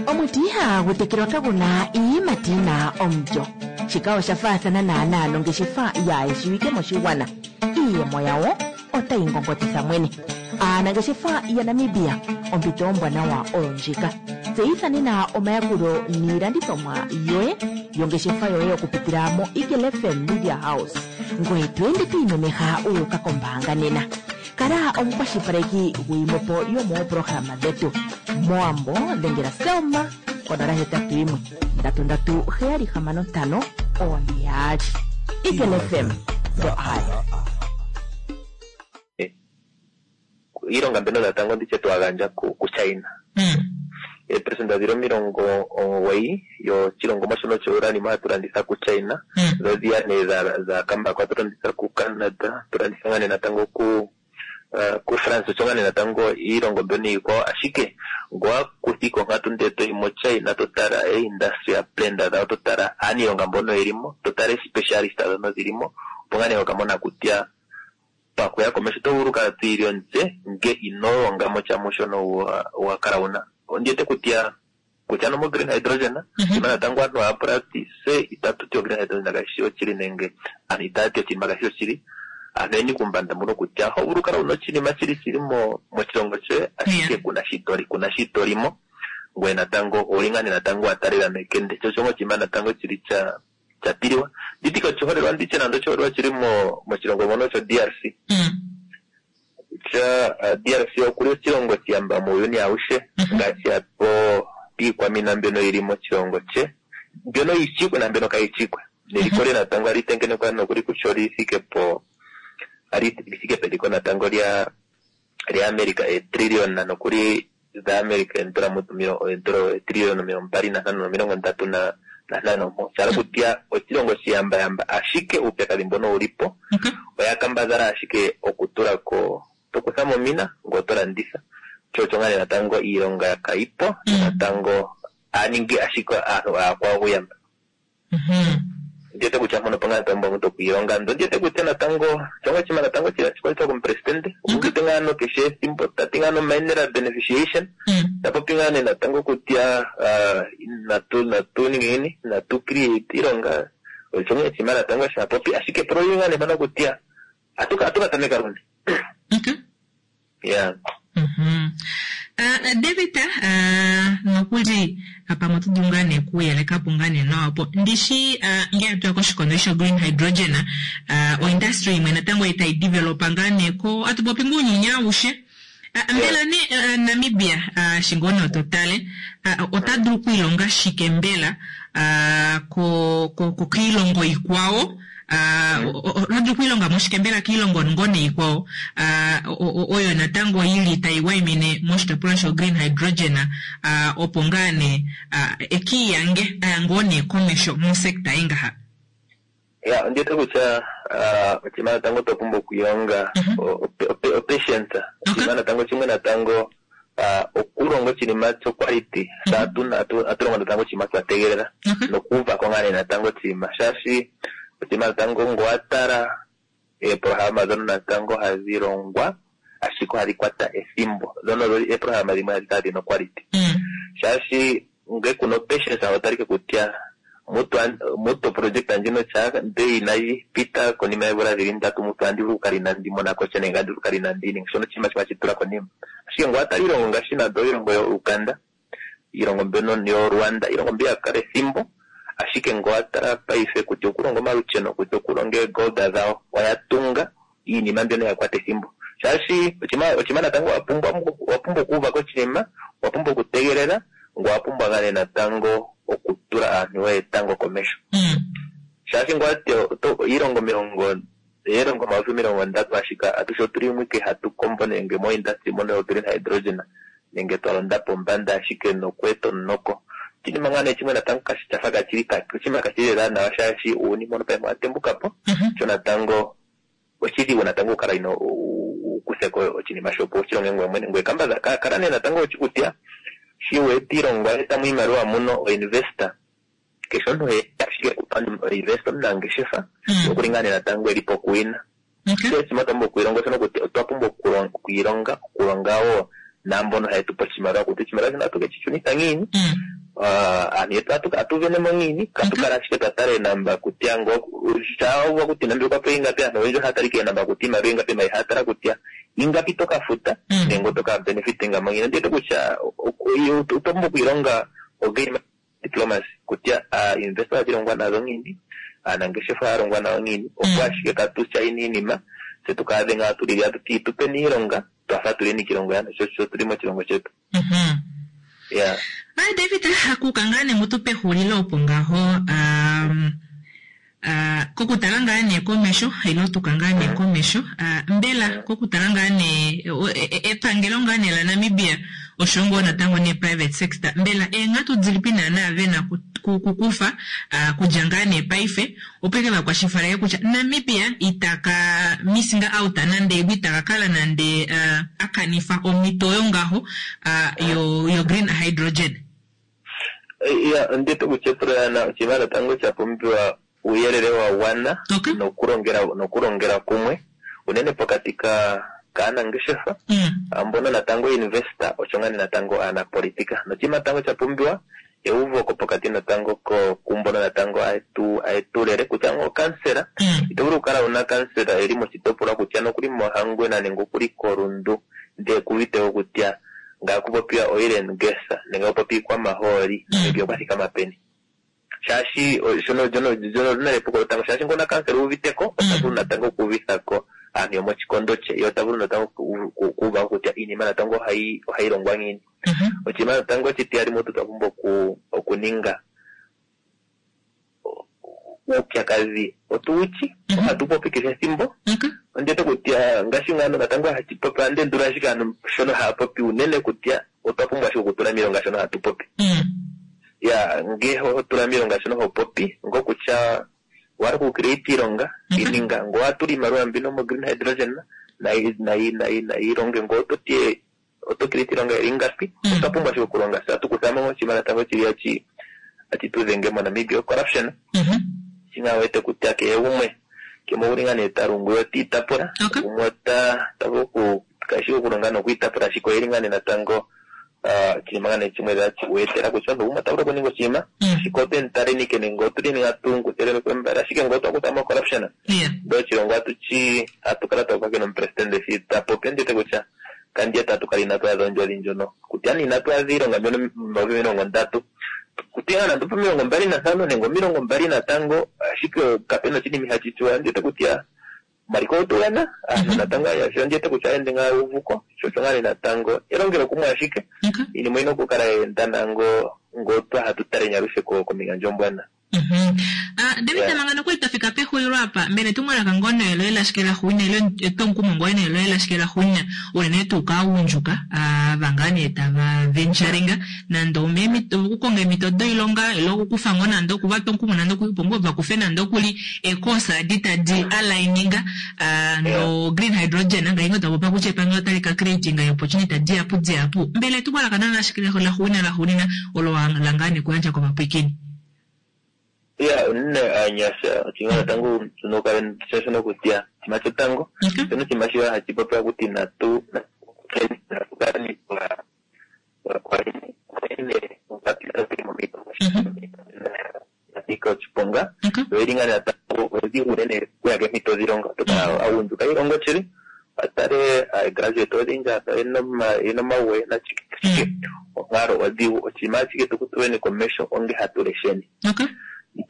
Omuti ihagu tekelwa kaguna iiyimati yina omulyo. Shika osha faathana naanaa nongeshefa yaayeshiwike moshigwana. Iiyemo yawo otayi ngongotitha mwene. Aanangeshefa yaNamibia, ompito ombwanawa oyo ndjika. Tseyitha nena omayakulo niilandithomwa yoye yongeshefa yoye okupitila mo Eagle F M Media House. Ngoye to ende to imemeha u uka kombaanga nena. Kala omukwashilipaleki gwiimwepo yomooprograma dhetu. Moambo dhengela Selma konola hetatu yimwe ndatu ndatu heyali hamano ntano one yaali. Eagle F M, the eye. Iilonga mbyono natango nditye twa gandja ku China. Eeperesenda dhili omilongo omugoyi yoshilongomwa shono sho uranium hatu landitha ku China. Dho dhiya nee dha kambako hatu landitha ku Canada, hatu landitha ngaa nee natango ku kuFrance osho ngaa nee natango iilongo mbyono iikwawo, ashike ngowa kuthika onkatu ndele toyi moChina to tala eindustry plan dhawo, to tala aaniilonga mbono yeli mo, to tala specialist dhono dhili mo, opo ngaa nee hokamona kutya pakuya komesho oto vulu kala twiili omutse nge ino longa mo sha mushono wa kala wuna. Ondiwete kutya kutya no mo green hydrogen ima natango aantu haya pula ti se itatu ti o green hydrogen kayishi oshili nenge aantu itaya ti oshinima kayishi oshili. Aantu oyeni kumbanda muno kutya oho vulu kala wuna oshinima shili shili mo moshilongo shoye ashike kuna shi toli kuna shi tolimo ngoye natango ouli ngaa nee natango wa talela mekende sho osho oshinima natango shili sha sha tiliwa. Nditike oshiholelwa nditye nande oshiholelwa shili mo moshilongo mono sho D R C. Kutya D R C okuli oshilongo shiyamba muuyuni awushe ngaashi apo piikwamina mbyono yili moshilongo she mbyono yichikwe na mbyono kayichikwe neliko lye natango ali tengenekwa nokuli kutya oli thike po ali thike peliko natango lya lya America etrillion nokuli dha America eendola mutu etrillion omilongo mbali nantano nomilongo ndatu na nantano mpo. Sha hala kutya oshilongo shiyambayamba ashike uupyakadhi mbono ulipo oya kambadhala ashike okutulako tokutha momina ngoye oto landitha sho osho ngaa nee natango iilonga kayipo natango aningi ashike aantu aakwawo okuyamba. Ndiwete kutya mpono opo ngaa natango omuntu okwiilonga ndo ndiwete kutya natango shongo oshinima natango shikwatha komupresidente okuuvite ngaa nokeshe ethimbo tati ngaa no-mineral beneficiation ta popi ngaa nee natango kutya natu natu ninge ngiini natu create iilonga osho ngaa oshinima natango sha popi ashike epulo lili ngaa nee mpano kutya atuka atuka tameka luni. Yeah. David, nokuli pamwe oto dulu ngaa nee okuyelekapo ngaa nee nawa po ndishi ngele atuya koshikondo sho green hydrogen oindustry imwe natango itayi developa ngaa nee ko atupopi ngoo unyuni aushe mbela nee Namibia shingo nee oto tale ota dulu okwiilonga shike mbela ko ko kiilongo ikwawo ota dulu okwiilonga mo shike mbela kiilongo ngoo nee ikwawo oyo natango yili tayi waimine moshitopolwa sho green hydrogen opo ngaa nee ekiiyange aya ngoo nee komesho mosekta ingaha. Ya, ndiwete kutya oshinima natango twa pumbwa okwiilonga opatience. Oshinima natango shimwe natango okulonga oshinima sho quality sa atu atulonga natango oshinima twa tegelela nokuuvako ngaa nee natango oshinima shaashi oshinima natango ngo watala eeprograma dhono natango hadhi longwa ashike ohadhi kwata ethimbo dhono eeprograma dhimwe hadhi kala dhina quality shaashi nge kuna patience otalike kutya mutu mutu project ndjino sha nde inayi pita konima yeemvula dhili ndatu mutu andi vulu okukala inandi monako sha nenge andi vulu okukala inandi ninga shono oshinima shimwe hashi tula konima. Ashike ngo watala iilongo ngaashi nando iilongo yo Uganda iilongo mbyono yo Rwanda iilongo mbi ya kala ethimbo ashike ngo watala paife kutya okulonga omalusheno kutya okulonga eegold dhawo oya tunga iinima mbyono ya kwata ethimbo shaashi oshinima natango wapumbwa wapumbwa okuuvako oshinima wapumbwa okutegelela ngoye owapumbwa ngaa nee natango okutula aantu yoye tango komesho shaashi ngwati iilongo omilongo iilongo omayovi omilongo ndatu ashike atushe otuli mwike hatu kombo nenge mo industry mono yo green hydrogen nenge twa londa pombanda ashike nokweeta omunoko. Oshinima ngaa nee shimwe natango kashi shafa kashili oshinima kashili lela nawa shaashi uuyuni mbono paife owa tembukapo sho natango oshidhigu natango okukala ino ukutheko oshinima shopo ushilonge ngoye mwene ngoye kambadhala kala nee natango ushi kutya shi wete iilongo oya etamo iimaliwa muno oinvestor keshe omuntu ashike oinvestor omunangeshefa okuli ngaa nee natango eli pokuwina. Sho oshinima twa pumbwa okwiilonga oshono kutya otwa pumbwa okwiilonga okulonga wo naambono haye tupe oshimaliwa kutya oshimaliwa shino ohatu keshi shunitha ngiini aantu yetu atu venemo ngiini katu kala ashike twa tala eenamba kutya ngo shaa kuti nande okwa pewa ingapi aantu oyendji ohaya tala ike eenamba kutya iimaliwa ingapi ma ihaya tala kutya ingapi toka futa nenge otoka benefitinga mo ngiini. Ondiwete kutya otwa pumbwa okwiilonga ogame diplomacy kutya aainvestor ohadhi longwa nadho ngiini aanangeshefa ohaya longwa nayo ngiini opo ashike katu shaine iinima tse tukaadhe ngaa tuli atuti tupeni iilonga twafa tuleni kiilongo yaantu sho sho tuli moshilongo shetu. Yeah. Ai David, akuka ngaa nee mutu pexulilo opo ngaho um, uh, kokutala ngaa nee komesho ilo tuka ngaa nee komesho uh, mbela kokutala ngaa nee epangelo ngaa nee la Namibia Osho ngoo natango nee private sector, mbela eenghatu dilipi naana vena kukufa kudja ngaa nee paife opo ike vakwashilipaleke kutya Namibia itaka missinga out nande itaka kala nande uh, akanifa omhito oyo ngaho uh, yo, yo green hydrogen? Ya, ondete kutya epulana oshinima natango sha pumbiwa uuyelele wa gwana nokulongela nokulongela kumwe unene pokati ka kaanangeshefa mbono natango investor osho ngaa natango aanapolitika. Noshinima natango sha pumbiwa euvoko pokati natango ko kumbono natango aetu aetulele kutya ngo kansela ito vulu okukala una kansela eli moshitopolwa kutya nokuli mOhangwena nenge okuli koRundu ndee kuuvite kutya ngaa kupopiwa oil and gas nenge kupopiwa iikwamahooli Namibia okwa thikama peni. Shaashi shono jono jono lina epuko lotango, shaashi ngona kansela uuviteko ota vulu natango okuuvithako aantu yomoshikondo she, ye ota vulu natango okuuva kutya iinima natango ohayi ohayi longwa ngiini. Oshinima natango oshitiyali mutu twa pumbwa oku okuninga uupyakadhi otuwuchi ohatu popi kehe ethimbo. Ondete kutya ngaashi ngano natango hachi popi ande ndula ashike aantu shono haya popi unene kutya otwa pumbwa ashike okutula miilonga shono hatu popi. Ya, nge ho tula miilonga shono ho popi ngokutya wari ku create iilonga ininga ngo watula iimaliwa mbino mo green hydrogen nayi nayi nayi nayi ilonge ngo ototie oto create iilonga ili ngapi. Otwa pumbwa ashike okulonga sa tukuthamo oshinima natango chili achi achi tudhenge moNamibia corruption. Shinga wete kutya kehe gumwe kemo uli nga nee talungu yo tiitapula gumwe ota tavulu oku kashi okulonga nokwiitapula ashike oyeli nga nee natango oshinima nga nee shimwe weetela kutya omuntu gumwe ota vulu okuninga oshinima ashike otweni talenike nenge otulini ngatu kwembala ashike ngo otwa kuthamo corruption ndo oshilongo atuchi atu kala twakwa nomupresidente shi tapopi ondete kutya kandiye tatu kala inatu adha ondjodhi ndjono kutya ni inatu adha iilonga mbyono omilongo ndatu kutya nando pomilongo mbali nantano nenge omilongo mbali natango ashike kapena oshinima ihashi tsuwa ndete kutya omaliko otugana aantu natango sho ndete kutya ende ngaa uvuko sho osho ngaa natango elongelo kumwe ashike iinima oyina okukala yeenda nango ngo twa hatu tale nyalushe komihandjo mbwana. David manga nokuli twafika pexulilo apa, mbela etumwalaka ngoo neelo lashike laxuuninwa ile etwomukumo ngoo neelo lashike laxuuninwa unene tuu kaagundjuka ava ngaa nee tava venturinga nande okukonga eemhito doilonga ile okukufa ngoo nande okuvatwa omukumo nande opo ngoo vakufe nande okuli eecourse adi tadi aligninga no green hydrogen ngaashi ngoo twapopa kutya epangelo otali ka creatinga opportunity dihapu dihapu. Mbela etumwalaka nana lashike laxuuninwa laxuuninwa olo la ngaa nee kuyandja kovapwiikini? Ya, unene aanyasha oshinima natango tunokale shono kutya oshinima shotango shono oshinima shiwa hashi popiwa kuti natu nanika oshiponga yo ngaa natango odhigu unene okuya keemhito dhilonga otokala agundjuka ilongo shili atale graduate odhindji yena omagwe nashike onkalo odhigu oshinima ashike tukutuleni komesho onge hatu lesheni.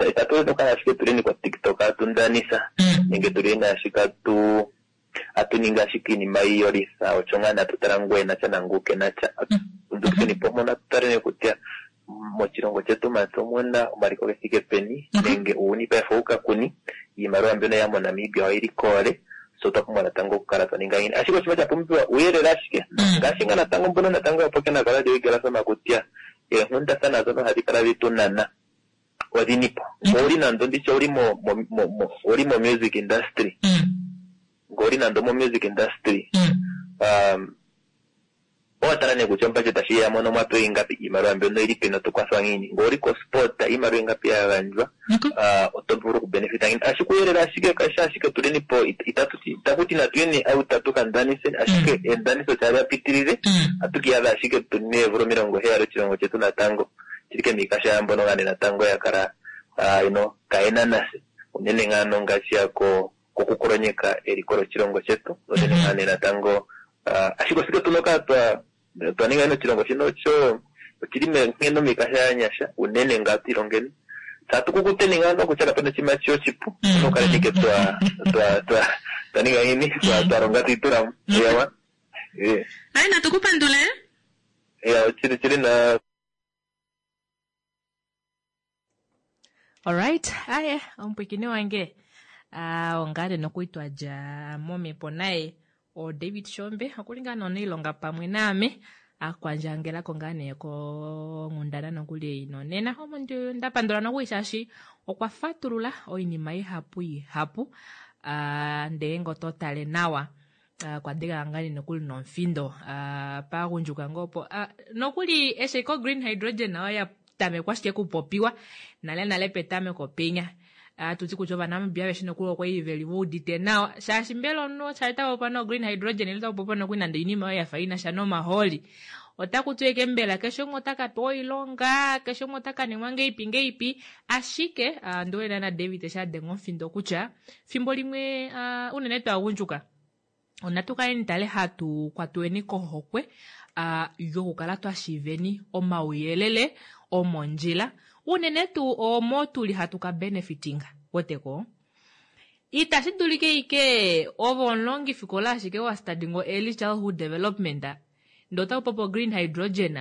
Itatu nokala ashike tuleni ko TikTok atundanisa nenge tuleni ashike atu atuninga ashike iinima iyolitha osho ngaa natutala ngwe natya nanguke natya ndukeni po mona tutaleni kutya moshilongo chetu mati omuna omaliko gethike peni nenge uuni paife uka kuni iimaliwa mbyono ya moNamibia oyili koole so otwa pumbwa natango okukala twa ninga ngiini ashike oshinima sha pumbiwa uuyelele ashike ngaashi ngaa natango mbono natango yapoke nakola lyoigelasoma kutya eenghundathana dhono ohadhi kala dhitunana odhinipo owuli nando nditye owuli mo mo owuli mo music industry ngoli nando mo music industry um owatala nee kutya obudget shi ya mono mwapewa ingapi iimaliwa mbyono ili peni oto kwathwa ngiini ngoli ko sport iimaliwa ingapi ya gandjwa oto vulu okubenefita ngiini ashike uuyelele ashike kashi ashike tuleni po itatu itakuti natuyeni out tukandanise ashike endaniso tali yapitilile atukiyadha ashike tune eevula omilongo heyali oshilongo chetu natango shili kemikasha yambono nga nee natango ya kala you know kayena nase unene ngaano ngaashi yako kokukolonyeka eliko loshilongo chetu unene ngaa nee natango ashike osike tunoka twa twa ninga oshilongo shino osho oshili nkene omikasha yanyasha unene ngaa tuilongeni tatu kukuteni ngaa kutya kapena oshinima oshipu nokale nike twa twa twa twa ninga nini twa twa longa tuitulamo yawa. Ayi natukupandule. Ya chili chili na Alright, aye omupwikini wange ah ongale nokuitwa dja momepo naye o David Shombe okuli ngaa nonailonga pamwe naame Akwandjangelako ngaa nee konghundana nokuli ei nonena omo ndapandula nokuli shaashi okwa fatulula oinima ihapu ihapu ndee nge oto tale nawa okwa denga ngaa nee nokuli nomufindo paagundjuka ngoo opo nokuli eshi ko green hydrogen oyo ya tamekwa ashike kupopiwa nale nale petameko penya atuti kutya ovanamibia aveshe nokuli okwali veli veudite nawa shaashi mbela omunhu shaashi tapopiwa no green hydrogen ile tapopiwa nokuli nande oinima oyo yafa inasha nomahooli otaku ti eke mbela keshe umwe otaka pewa oilonga keshe umwe otaka ningwa ngeipi ngeipi ashike ndiwete naana David eshi adenga omufindo kutya fimbo limwe unene twaagundjuka onatu kaleni tale hatu kwatweni kohokwe yokukala twashiiveni omauyelele omondjila unene tuu omo tuli hatu ka benefitinga weteko itashi dulike ike ove omulongifikola ashike wa studyinga early childhood development ndee otaku popi green hydrogen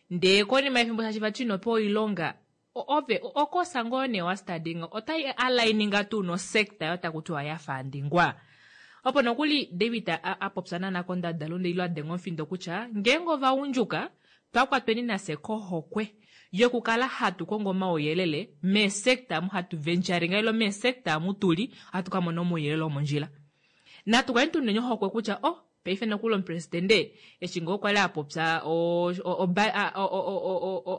ndee konima yefimbo shaashi vati inopewa oilonga ove okosa ngoo nee wa studyinga otai aligninga tuu nosector oyo taku tiwa yafandingwa opo nokuli David apopya naana kondadalunde ile adenga omufindo kutya ngeenge ovagundjuka twakwatweni nafye kohokwe yokukala hatu kongo omauyelele meesector amu hatu venturinga ile meesector amu tuli ohatu kamona omauyelele omondjila natu kaleni tuneni ohokwe kutya oh paife nokuli omupresidente eshi ngoo kwali apopya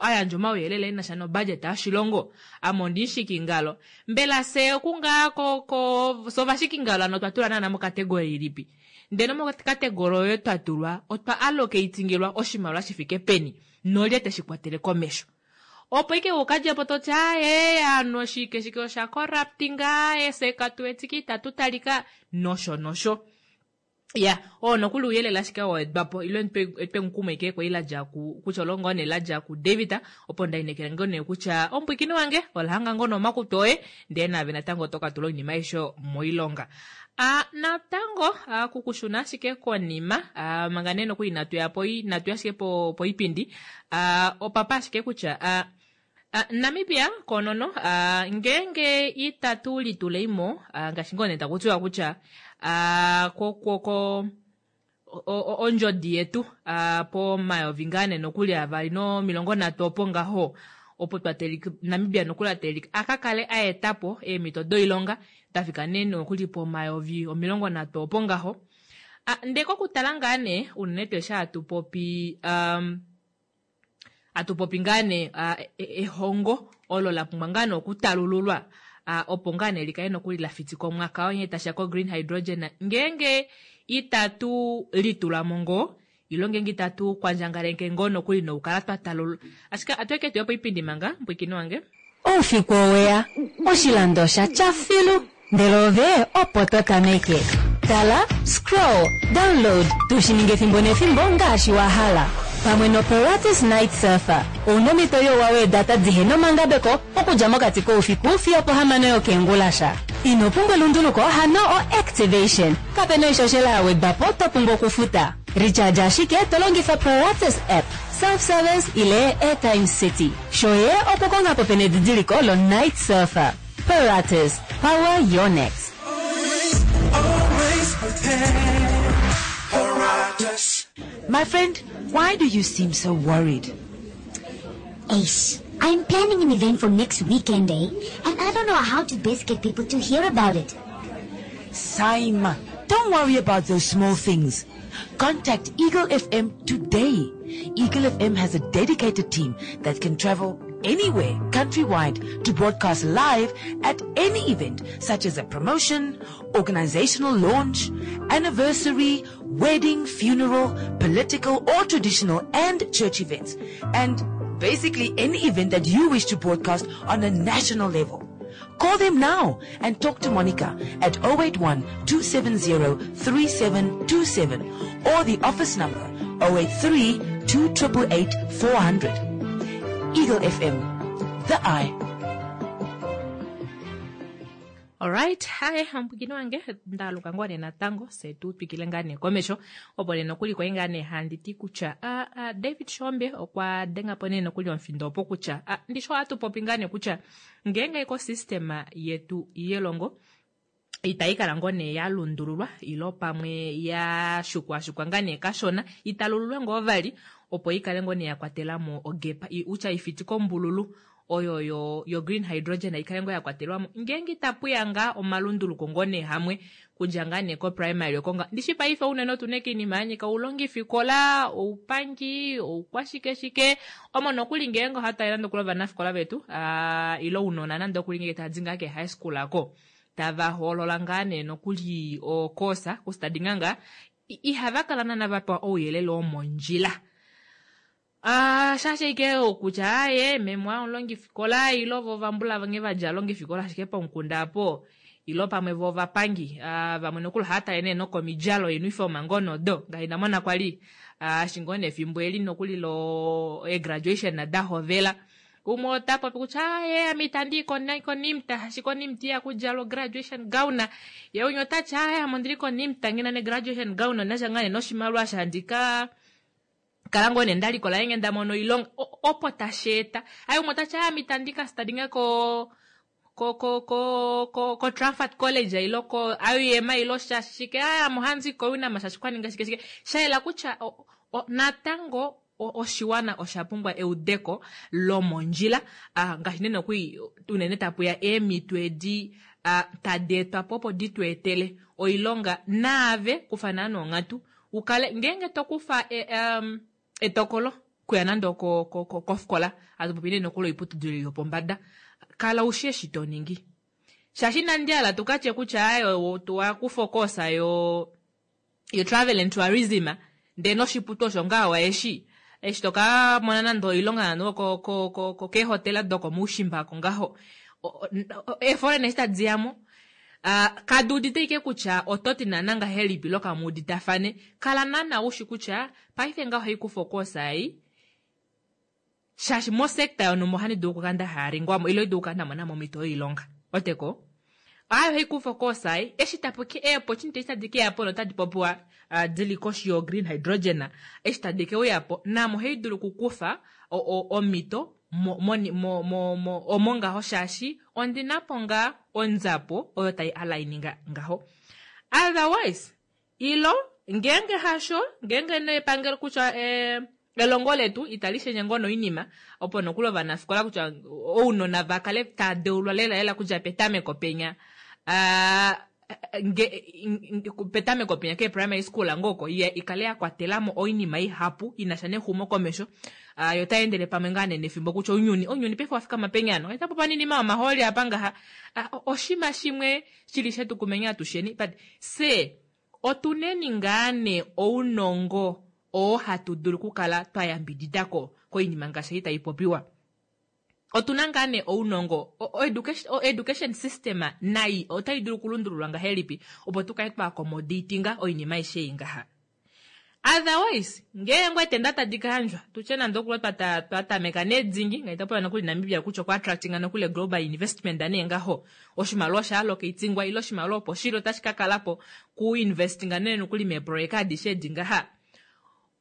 ayandja omauyelele enasha nobudget yoshilongo ame ondimushikingalo mbela fye okungaa fye ovashikingalo hano otwa tulwa naana mocategory ilipi ndele mocategory oyo twa tulwa otwa allocatingilwa oshimaliwa shifike peni nolye teshi kwatele komesho opo ike ukadjepo toti aaye ovanhu shike shike osha corruptinga fye katuwetike itatu talika nosho nosho ya oo nokuli ouyelele ashike wa wedwapo ile etwemukumo ike kwali ladja kutya olo ngoo nee ladja ku David opo ndainekela ngoo nee kutya omupwiikini wange olahanga ngoo nee omakutu oye ndee naave natango oto katula oinima aishe moilonga. Natango kukushuna ashike konima manga nee nokuli inatuya po inatuya ashike poipindi opapa ashike kutya Namibia konono ngeenge itatu litulemo ngaashi ngoo nee takutiwa kutya ko ondjodi yetu pomayovi ngaa nee nokuli avali nomilongo nhatu opo ngaho opo twatelika Namibia nokuli atelika akakale aetapo eemhito doilonga dafika nee nokuli pomayovi omilongo nhatu opo ngaho ndee kokutala ngaa nee unene tuu eshi hatu popi hatu popi ngaa nee ehongo olo la pumbwa ngaa nee okutalululwa opo ngaa nee likale nokuli lafitika omwaka oo nghee tashiya ko green hydrogen ngeenge itatu litulamo ngoo ile ngeenge itatu kwandjangaleke ngoo nokuli nokukala twa talulula ashike atueke tuye poipindi manga mupwiikini wange. Oufiku oweya, oshilando osha tya filu, ndele ove opo to tameke. Tala, scroll, download, tushi ninge efimbo nefimbo ngaashi wa hala. Pamwe noPilates Night Surfer, ouna omhito youwa weedata dihena omangabeko okudja mokati koufiku fiyo pohamano yokeengulasha. Ino pumbwa elunduluko hano o-activation. Kapena oishoshela ya wedwa po to pumbwa okufuta. Recharge ashike to longifa Pilates app, self-service ile Airtime City. Shoye okukonga po pena edidiliko lo Night Surfer. Pilates, power your next. Always prepared. Paratus. My friend, why do you seem so worried? Ace, I'm planning an event for next weekend, eh? And I don't know how to best get people to hear about it. Saima, don't worry about those small things. Contact Eagle F M today. Eagle F M has a dedicated team that can travel anywhere countrywide to broadcast live at any event such as a promotion, organizational launch, anniversary, wedding, funeral, political or traditional and church events, and basically any event that you wish to broadcast on a national level. Call them now and talk to Monica at oh eight one, two seven zero, three seven two seven or the office number oh eight three, two triple eight, four hundred. Eagle F M, the eye. All right, hi, mpwikini wange ndaluka ngoo nee natango se tu twikile ngaa nee komesho opo nee nokuli kwai ngaa nee handi ti kutya, ah, ah, David Shombe okwa denga po nee nokuli omufindo opo kutya, ah, ndisho ohatu popi ngaa nee kutya ngeenge ecosystem yetu yelongo Itai kala ngoo nee yalundululwa ilo pamwe ya shukwashukwa ngaa nee kashona, italululwe ngoo vali opo ikale ngoo nee yakwatelamo ogepa, utya ifiti kombululu oyo yo, yo green hydrogen ikale ngoo yakwatelwamo ngeenge itapuya ngaa omalunduluko ngoo nee hamwe kudja ngaa nee ko-primary okonga ndishi paife unene otuna iinima yanyika oulongifikola, oupangi, oukwashikeshike omo nokuli ngeenge ohatu nande okuli ovanafikola vetu uh, ilo ounona nande okuli ngeenge tadi ngaa ke high school ako tava hoolola ngaa nee nokuli okosa kustadinga ngaa ihava kala naana vapewa ouyelele womondjila. Uh, shaashi ike kutya aye meme omulongifikola ilo vo vambula vange vadja longifikola ashike pomukunda apo ilo pamwe vo ovapangi uh, vamwe nokuli ohava tale nee nokomidjalo uniform ngono do ngaashi ndamona kwali uh, shingoo nefimbo eli nokuli lo e-graduation dahovela umwe ota popi kutya aye ame itandi koNIMT shaashi koNIMT ihaku djalwa graduation gown, ye umwe otati aye ame ondili koNIMT ngina ne graduation gown ondinasha ngaa nee noshimaliwa shandika kala ngoo nee ndalikola ngeenge ndamono oilonga opo tashi eta aye umwe otati ame itandi ka studyinga ko ko ko ko ko ko Trafford College ilo ko I U M ilo shashike aya ame ohandi ko UNAM shaashi kwaninga shike shike shayela kutya o, o, natango oshiwana osha pumbwa eudeko lomondjila uh, ngaashi nee nokuli unene tapuya eemhito edi uh, tadi etwa po opo di tu etele oilonga naave kufa naana onghatu ukale ngeenge to kufa e, um, etokolo kuya nande kofikola hatu popi nee nokuli oiputudilo yopombada kala ushi eshi to ningi shaashi inandi hala tukatye kutya ayo wakufa okosa yo yo travel and tourism ndee noshiputu osho ngaa waeshi eshi toka mona nande oilonga nande ko ko ko keehotela dokomuushimba ko ngaho eeforeign eshi tadi yamo uh, kadi udite ike kutya oto ti naana ngahelipi ilo kamuuditafane kala naana ushi kutya paife ngaho ohaikufa okoosa ei shaashi mosekta yonumba ohandi dulu okukala nda haringwamo ilo dulu okukala ndamona mo omhito yoilonga oteko ayo haikufa okoosa ei eshi tapuki eeopportunity eshi tadi keya po notadi popiwa uh, dili koshi yo green hydrogen eshi tadi keuyapo namo ohai dulu okukufa omhito mo, mo, mo, mo, omo ngaho shaashi ondinapo ngaa onzapo oyo tai aligninga ngaho. Otherwise ilo ngeenge hasho ngeenge nepangelo kutya eh, elongo letu itali shenye ngoo noinima opo nokuli ovanafikola kutya ounona va kale tava deulwa lela lela kudja petameko penya uh, nge, petameko penya ke primary school ngoko ikale ya kwatelamo oinima ihapu inasha nexumo komesho uh, yo taendele pamwe ngaa nee nefimbo kutya ounyuni ounyuni paife wafikama penyano etapo paninima omahooli apa ngaha uh, oshima shimwe shili shetu kumenya atusheni but se otuneni ngaa nee ounongo oo hatu dulu okukala twa yambididako koinima ngaashi ei tai popiwa otuna ngaa nee ounongo education, education system nai otai dulu okulundululwa ngahelipi opo tukale twa accommodatinga oinima aishe ei ngaha. Otherwise ngeenge eetenda tadi ka yandjwa tutye nande okuli twatameka needingi ngaitapola nokuli Namibia kutya okwa attractinga nokuli global investment nee ngaho oshimaliwa osha allocatingwa ile oshimaliwa opo shili otashi ka kalapo kuinvestinga nee nokuli meeprojeka adishe edi ngaha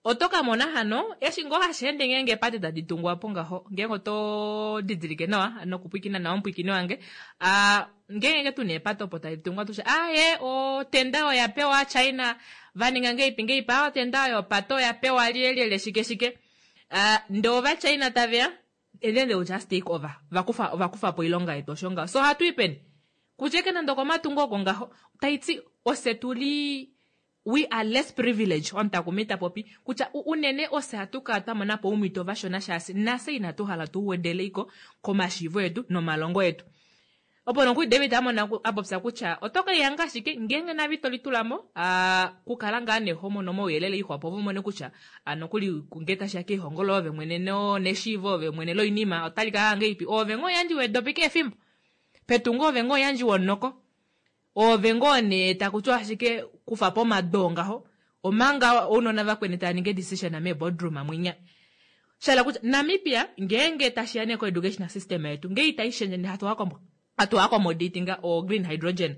oto ka mona hano eshi ngoo hashi ende ngeenge eepate tadi tungwa po ngaho ngeenge oto didilike nawa nokupwiikina nawa omupwiikini wange uh, ngeenge tuna eepate opo tadi tungwa tushe aye otenda oya pewa China vaninga ngeipi ngeipi a otenda oyo opate oya pewa lyelyelye shike shike uh, ndee ova China taveya and then they will just take over vakufa vakufa po oilonga yetu osho ngaho so ohatu i peni kutya eke nande okomatungo oko ngaho taiti ose tuli we are less privileged omutakumi ta popi kutya unene ose hatu kala twa mona po oumhito vashona shaashi nafye inatu hala tu wedeleiko komashiivo etu nomalongo etu opo nokuli David amona a popya kutya oto kelihanga ashike ngeenge nave ito litulamo uh, kukala ngaa nehomono mouyelele ixwapo opo mone kutya nokuli ngee tashiya keihongo loove mwene neshiivo ove mwene loinima otali kala ngeipi ove ngoo yandji wedopi keefimbo petungo ove ngoo yandji wonoko ove ngoo nee takutiwa ashike kufa po omadoo ngaho omanga ounona vakweni tava ningi decision mee-boardroom mwinya shala kutya Namibia ngeenge tashiya nee ko-educational system yetu ngee itai shendje hatu hatu accommodatinga o green hydrogen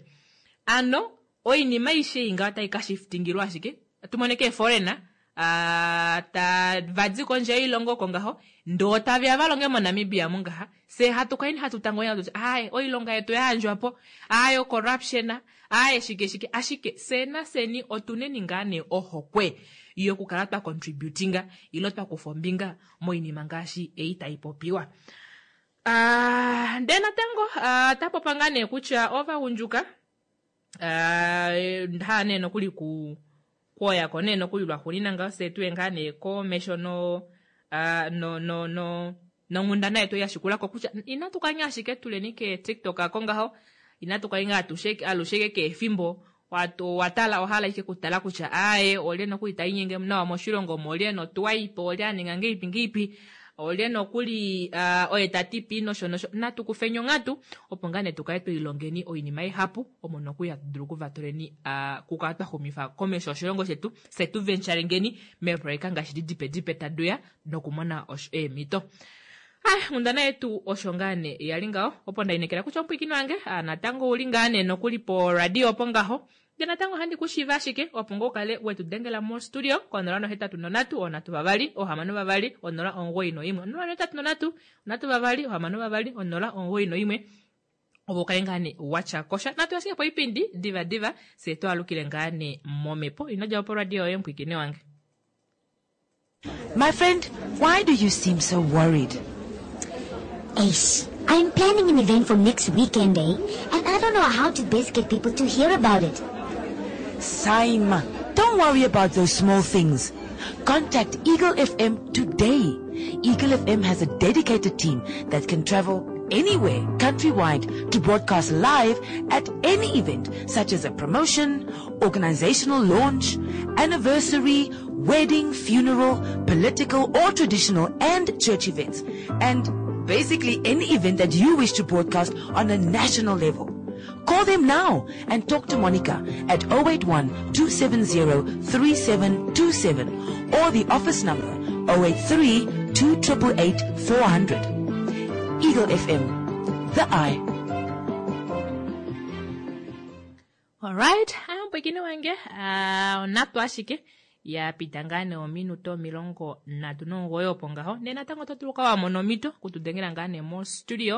ano oinima aishe ei ngaho otai ka shiftingilwa ashike tumone keeforeigner uh, tava di kondje yoilongo oko ngaho ndee otaveya valonge moNamibia mungaha fye hatu kaini hatu tangonya tuti aye oilonga yetu yayandjwapo aye corruption aye shike shike ashike fye nafyeni otuneni ngaa nee ohokwe yokukala twa contributinga ile twa kufa ombinga moinima ngaashi ei taipopiwa. Uh, ndee natango uh, tapopa ngaa nee kutya ovagundjuka uh, haa nee nokuli ku kwoyako nee nokuli lwaxuunina ngaho fye tuye ngaa nee komesho no uh, no no no nonghundana yetu yashikulako kutya inatu kanya ashike tuleni ke TikTok ako ngaho inatu kanya atushe alushe ke efimbo watala ohala ike kutala kutya aye olye nokuli tainyenge nawa moshilongo molye notwaipo olye aninga ngeipi ngeipi olye nokuli uh, oye tati nosho nosho natu kufeni onghatu opo ngaa nee tukale twilongeni oinima ihapu omo nokuli hatu dulu okuvatuleni uh, kukala twa xumifa komesho oshilongo shetu fye tu venturengeni meeproyeka ngaashi di dipe dipe taduya nokumona eemhito. Ai, nghundana yetu osho ngaa nee yali ngaho opo ndainekela kutya omupwiikini wange natango ouli ngaa nee nokuli po radio opo ngaho ndee natango ohandi kushiiva ashike opo ngoo ukale wetu dengela mo studio konola nohetatu nonhatu onhatu vavali ohamano vavali onola omugoyi noimwe onola nohetatu nonhatu onhatu vavali ohamano vavali onola omugoyi noimwe opo ukale ngaa nee watya kosha natu ashike po oipindi diva diva fye twaalukile ngaa nee momhepo ino djapo poradio yoye mupwiikini wange. My friend, why do you seem so worried? Ace, I'm planning an event for next weekend, eh? And I don't know how to best get people to hear about it. Saima, don't worry about those small things. Contact Eagle F M today. Eagle F M has a dedicated team that can travel anywhere countrywide to broadcast live at any event such as a promotion, organizational launch, anniversary, wedding, funeral, political or traditional and church events, and basically any event that you wish to broadcast on a national level. Call them now and talk to Monica at oh eight one, two seven zero, three seven two seven or the office number oh eight three, two triple eight, four hundred. Eagle F M, the eye. All right, mpwekini wange, uh, onatu ashike ya pita ngaa nee ominute omilongo nhatu nomugoyi opo ngaho ndee natango oto dulu okukala wa mona omhito okutudengela ngaa nee mostudio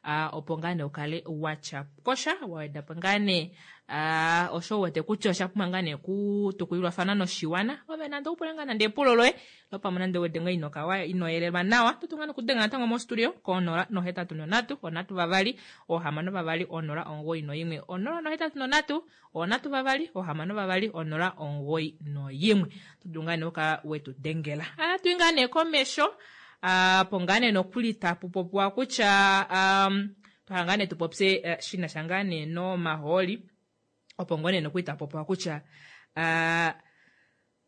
uh, opo ngaa nee ukale watya kosha wawedapo ngaa nee uh, osho uwete kutya osha pumbwa ngaa nee kutukulilwafana noshiwana ove nande upule ngaa nande epulo loye lopamwe nande uwete ngaa inokawa inoyelelwa nawa oto dulu ngaa nokudenga natango mostudio konola nohetatu nonhatu onhatu vavali ohamano vavali onola omugoyi noimwe onola nohetatu nonhatu onhatu vavali ohamano vavali onola omugoyi noimwe oto dulu ngaa nee okukala wetudengela. Ohatu ngaa nee komesho apo ngaa nee nokuli tapu popiwa kutya um, twahala ngaa nee tupopye uh, shinasha ngaa nee nomahooli opo ngoo nee nokuli tapu popiwa kutya uh,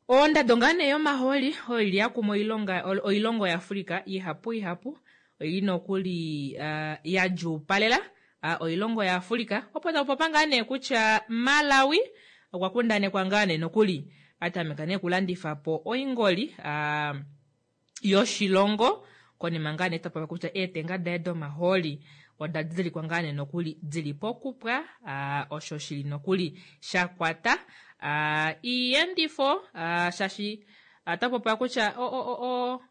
ondado ngaa nee yomahooli oyo ili yakuma oilonga oilongo yaAfrika ihapu ihapu oili nokuli uh, yadjuupalela uh, oilongo yaAfrika opo tapu popiwa ngaa nee kutya Malawi okwa kundanekwa ngaa nee nokuli atameka nee kulandifa po oingoli uh, yoshilongo konima ngaa nee tapopiwa kutya eetenga daye domahooli oda didilikwa ngaa nee nokuli dili pokupwa uh, osho shili nokuli shakwata uh, iiyendifo uh, shashi uh, tapopiwa kutya o, o, o, o,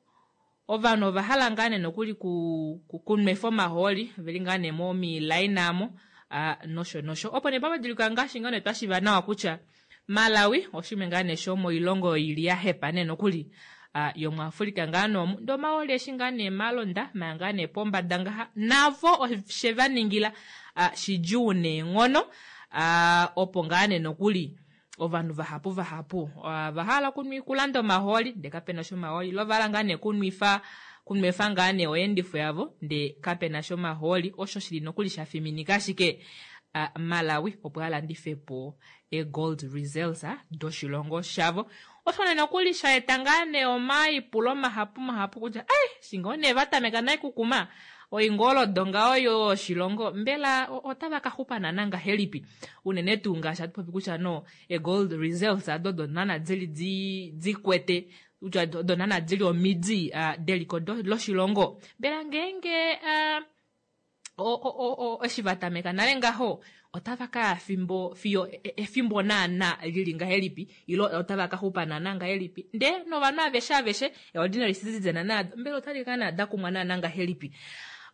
ovanhu ovahala ngaa nee nokuli ku, ku, kunwefa omahooli veli ngaa nee momilaina amo uh, nosho nosho opo nee pamadilikwa ngaashi ngaa nee twashiva nawa kutya Malawi oshimwe ngaa nee shomoilongo ili yahepa nee nokuli uh, yomuAfrika ngaa noomu ndee omahooli eshi ngaa nee malonda maya ngaa nee pombada ngaha navo oshe vaningila uh, shidjuu neenghono uh, opo ngaa nee nokuli ovanhu vahapu vahapu uh, vahala okunwa kulanda omahooli ndee kapena shomahooli lo vahala ngaa nee kunwifa kunwefa ngaa nee oyeendifo yavo ndee kapena shomahooli osho shili nokuli shafiminika ashike uh, Malawi opo alandife po e-gold reserves doshilongo shavo osho nee nokuli shaeta ngaa nee omaipulo mahapu mahapu kutya ai shingo nee vatameka nai kukuma oingolodo ngaho yoshilongo mbela otava ka xupa naana ngahelipi unene tuu ngaashi hatu popi kutya no e-gold reserves ado odo naana dili di dikwete kutya odo naana dili omidi uh, deliko loshilongo mbela ngeenge uh, Eshi va tameka nale ngaho otava kaya fimbo fiyo efimbo naana lili ngahelipi ilo otava ka xupa naana ngahelipi ndee novanhu aveshe aveshe ordinary citizen naado mbela otali ka naa dakumwa naana ngahelipi.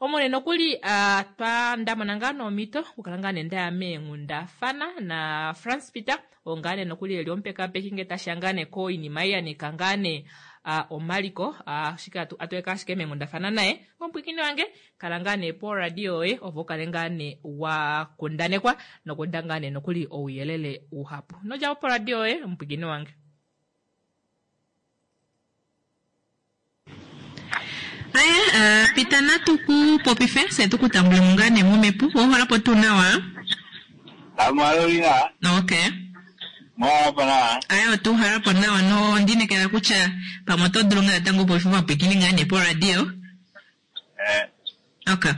Omone nokuli uh, twa ndamona ngaa nomhito okukala ngaa nee ndaya meenghundafana na Frans Peter oo ngaa nee nokuli eli omupekapeki ngee tashiya ngaa nee koinima ei yanika ngaa nee uh, omaliko uh, ashike atueka ashike meenghundafana naye omupwikini wange kala ngaa nee poradio yoye opo ukale ngaa nee wa kundanekwa nokuda ngaa nee nokuli ouyelele uhapu nodjapo poradio yoye omupwikini wange. Aya, uh, Peter natu ku popife se tukutambule mungane momepu woholapo tuu nawa. Amwalolina. Okay. Mwahalapo nawa. Aya, otuhalapo nawa no ndinekela kutya pamwe oto dulu ngaa natango popife omapwikini ngaa nee poradio. Eh. Okay.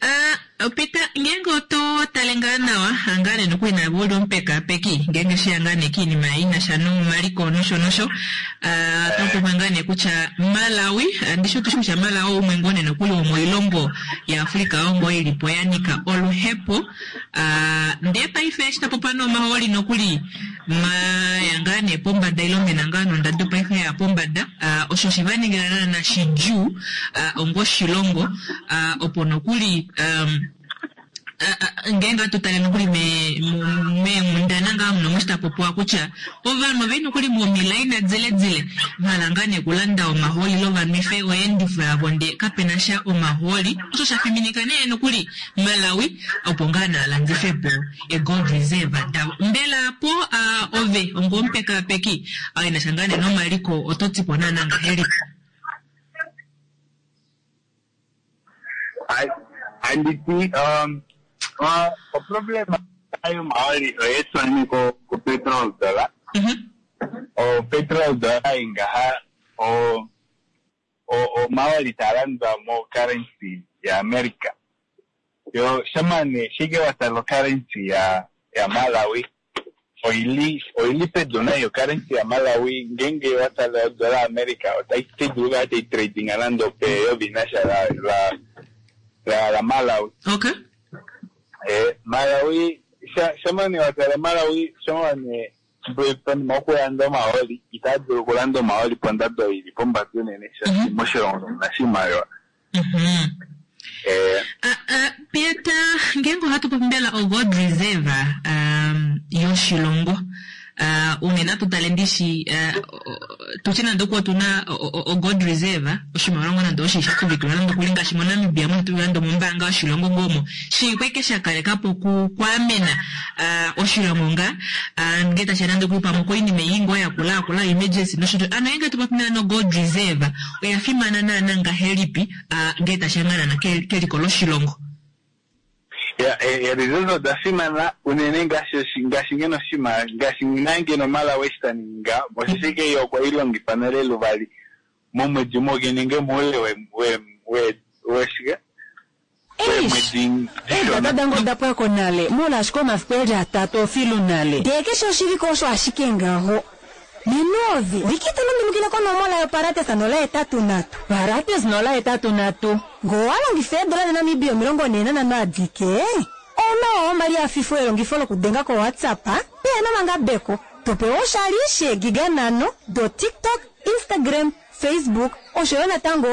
Uh, Peter, ngeenge oto tale ngaa nawa ngaa nee nokuli navo uli omupekapeki ngeenge shiya ngaa nee kiinima inasha nomaliko nosho nosho uh, oto ngaa nee kutya Malawi ndishi otushi kutya Malawi umwe ngoo nee nokuli womoilongo yaAfrika ongo ilipo yanika oluhepo uh, ndee paife eshi tapopa nomahooli nokuli maya ngaa nee pombada ilo mena ngaa nondado paife ya pombada uh, osho shivaningila naana shidjuu uh, ongo oshilongo uh, opo nokuli um, ngeenge atutale nokuli meenghundana ngaa muno moshitapopiwa kutya ovanhu oveli nokuli momilaina dziledzile vahala ngaa nee kulanda omahooli lo vanwife oyeendifo yavo ndee kapena sha omahooli osho shafiminika nee nokuli Malawi opo ngaa naalandifepo egold reserve davo. Mbela po uh, ove ongomupekapeki inasha ngaa nee nomaliko oto tipo naana ngahelipi? Anditi um uh, o problema ayo maoli oyetu ni ko ko petrol dollar. Mhm. O petrol dollar ingaha o o o maoli talandwa mo currency ya America. Yo shamane shige watalo currency ya ya Malawi. Oili oili pedona yo currency ya Malawi ngenge watalo dollar America otaitiduluka te trading alando pe yo binasha la la la, la Malawi. Okay. Eh, Malawi shamani watala Malawi shamani bwepani mokulanda omahooli itadulu okulanda omahooli pondado ili pombada unene shaashi moshilongo omuna oshimaliwa. Mhm. Eh, Uh, uh, Peter, ngeenge ohatu popi mbela o gold reserve um, yoshilongo uh, unene atutale ndishi uh, tutye nande okuwa otuna o gold reserve oshimaliwa ngoo nande oshi shatuvikilwa nande okuli ngaashi moNamibia muno tuli nande mombaanga yoshilongo ngoomo shiikweke shakalekapo kwaamena uh, oshilongo nga uh, ngee tashiya nande okuli pamwe koinima ei ngoo yakula yakula emergency nosho tuu. Ano ngeenge tupopi naana gold reserve oya fimana naana ngahelipi uh, ngee tashiya ngaa naana keliko loshilongo? Ya, e, reserve oda fimana unene ngaashi ngaashi ngeno oshima ngaashi nangeno Malawi eshi taninga oshishike yo okwa ilongifa nale luvali momwedi umwe nenge moule we we we weshike Eish, eedata dange oda pwako nale mola ashike omafiku eli atatu ofilu nale ndee keshe oshivike osho ashike ngaho Ninovi, wiki tulundulukile konomola yo Parates nola etatu natu. Parates nola etatu natu. Ngowalongifa eedola dhaNamibia omilongo nhee nanhano adike. Ono omali afifo elongifo lokudenga ko WhatsApp, pehena omangabeko. Topewa oshali sheegiga nhano do TikTok, Instagram, Facebook, oshoyo natango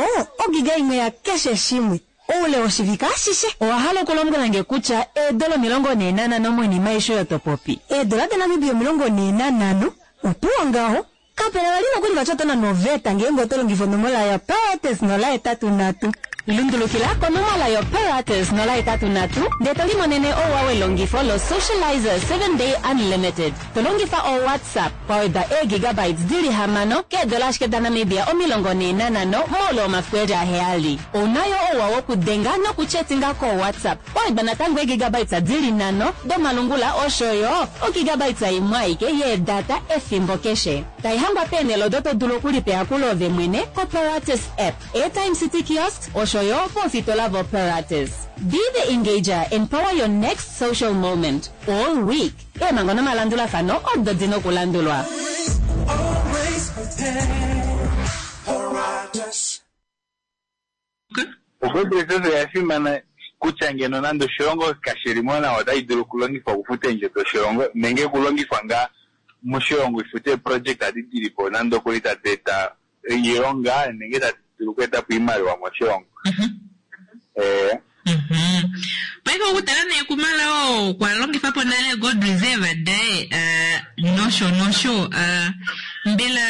ogiga imwe ya keshe shimwe. Oule woshivike ashishe. Owahala okulombwela nge kutya eedola omilongo nhee nanhano moinima aishe oyo topopi. Eedola dhaNamibia omilongo nhee nanhano. Opuwo ngaho kapena vali nokuli vatya noveta ngeenge oto longifa onomola ya Parates nola etatu nhatu. Lundulukila konomola yo Parates nola etatu nhatu ndee to limonene ouwa welongifo lo Socializer seven day unlimited. To longifa o WhatsApp kwaweda eegigabytes dili hamano keedola ashike daNamibia omilongo nhee nanhano moule womafiku eli aheyali. Ounayo ouwa wokudenga nokuchetinga ko WhatsApp kwawedwa natango eegigabytes dili nhano domalungula oshoyo ogigabytes imwe aike yeedata efimbo keshe. Taihangwa peenhele odo to dulu okulipeya ove mwene ko Parates app, Airtime City Kiosk oshoyo pofitola vo Parates. Be the engager and power your next social moment all week. Eemhango nomalandulafano odo dina okulandulwa. Always prepare. Paratus. O gold reserve oya fimana Kutya ngeno nande oshilongo kashi li mo nawa otayi dulu okulongifwa okufuta eendjo doshilongo nenge okulongifwa ngaa moshilongo ifute eeproject adi dili po nande okuli tadi eta oilonga nenge tadi dulu okweeta po oimaliwa moshilongo. Eh. Paife okutala nee kuMalawi okwa longifa po nale gold reserve daye uh, nosho nosho uh, mbela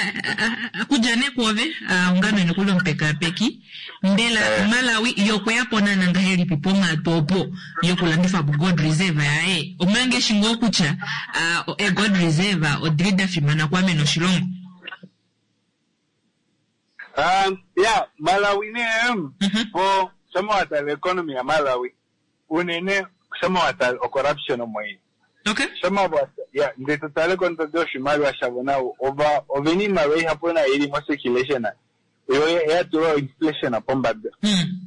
uh, kudja nee kuove uh, ongame nokuli omupekapeki mbela Eh. Malawi yokweya po naana ngahelipi ponghatu opo yokulandifa po gold reserve yaye omanga eshi ngoo kutya uh, e gold reserve odili da fimana kwamena oshilongo. Um, yeah, Malawi ne po shama watala economy ya Malawi unene shama watala o corruption omo ili. Okay. Shama watala yeah, ndee totale kondodo yoshimaliwa shavo navo ova ovena iimaliwa ihapu nayo ili mo circulation yo yatulwa inflation pombada.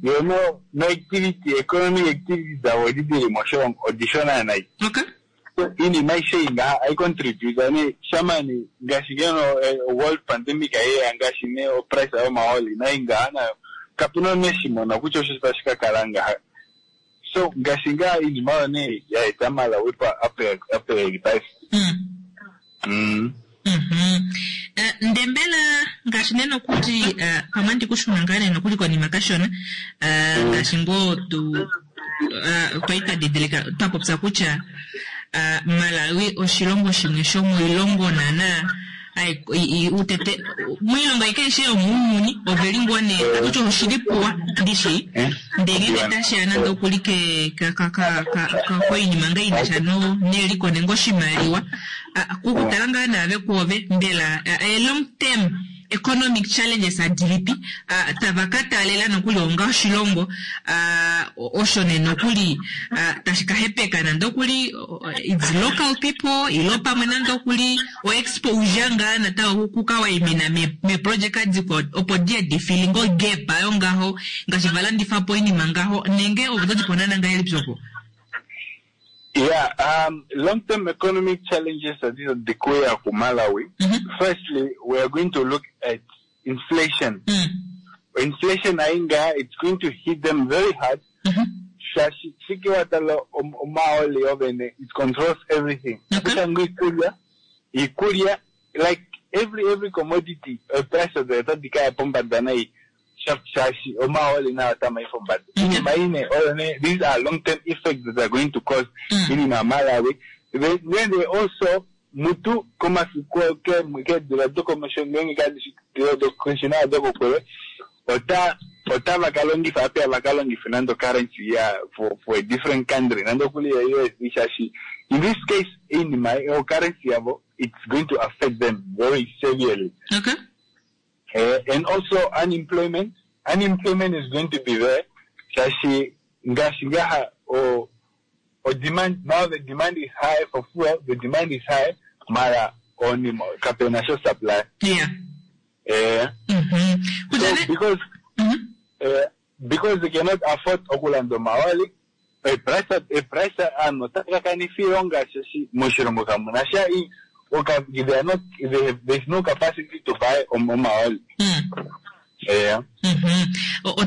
Yo no no activity economic activity davo edi dili moshilongo odishona nayi. Okay. Iinima aishe ei ngaha aicontribute ne shama ne ngaashi ngeno eh, world pandemic aiyeya ngaashi ne oprice yomahooli nai ngaha nayo kapuna omunhu eshi mona kutya osho tashi ka kala ngaha. So ngaashi ngaa iinima oyo nee yaeta Malawi pa ape ape eli paife. Mm. Eh, nde mbela ngaashi nee nokuli eh, pamwe andi kushuna ngaa nee nokuli konima kashona eh, ngaashi ngoo tu eh, twali twa didilika twa popya kutya eh, Malawi oshilongo shimwe shomoilongo naana ai- i- i- utete moilongo aike aishe yomuuyuni oveli ngoo nee akutya oshili puwa ndishi ndee ngenge tashiya nande okuli ke ka- ka- ka- ka- ka- koinima ngaa inasha no neliko nenge oshimaliwa Ah, kukutala ngaa naave kuove mbela ah, eh, long term economic challenges adilipi ah, tava ka taalela nokuli onga oshilongo ah, osho nee nokuli ah, tashi ka hepeka nande okuli oh, its local people ilo pamwe nande okuli o exposure ngaa natango kukawaimina meeprojeka dikwa opo diye difili ngo gap ayo ngaho ngaashi valandifa po oinima ngaho nenge ovo todiponana ngahelipi opo. Yeah, um, long-term economic challenges that is dikuya ku Malawi. Firstly, we are going to look at inflation. Inflation ainga, it's going to hit them very hard. Shashi shiki watala omaoli ovene, it controls everything. Kutya ikulya, ikulya, like every every commodity, uh, price of the tadika pombada nai. Shashi omaoli na atama ifombada. Iinima ine oyo ne, these are long-term effects that are going to cause iinima Malawi. Then, then they also mutu komafiku ke ke dila dokomesho ngenge ka dila dokomesho dokokwele ota ota vakalongifa ape vakalongifa nando currency ya for for a different country nando kuli ya U S D shashi in this case iinima o currency yavo it's going to affect them very severely. Okay. Uh, and also unemployment. Unemployment is going to be there. Shashi ngaashi ngaha o o demand now the demand is high for fuel, the demand is high, mara oni kapena sho supply. Yeah. Eh. So because uh, because they cannot afford okulanda omahooli a price a price ano otaka iilonga shashi moshilongo kamuna sha i oka they are not they have, there's no capacity to buy om- omahooli. Yeah. Opwa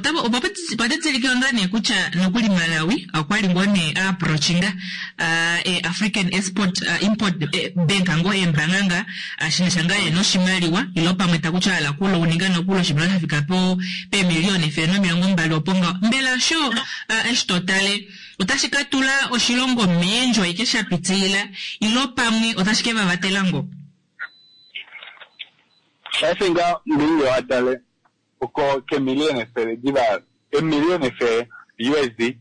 ngaa nee kutya nokuli Malawi okwali ngoo nee aapproachinga uh, African Export uh, Import eh, Bank ngoo eembanga nga uh, shinasha ngaa yena oshimaliwa ilo pamwe takutya ala kulo uninga nokulo oshimaliwa shafika po peemiliyona efele nomilongo mbali opo ngaho mbela sho uh, eshi totale otashi ka tula oshilongo meendjo aike sha pitilila ilo pamwe otashi ke vavatela ngo. Paife nga ngenge watale oko kemiliyona efele diva emiliyona efele U S D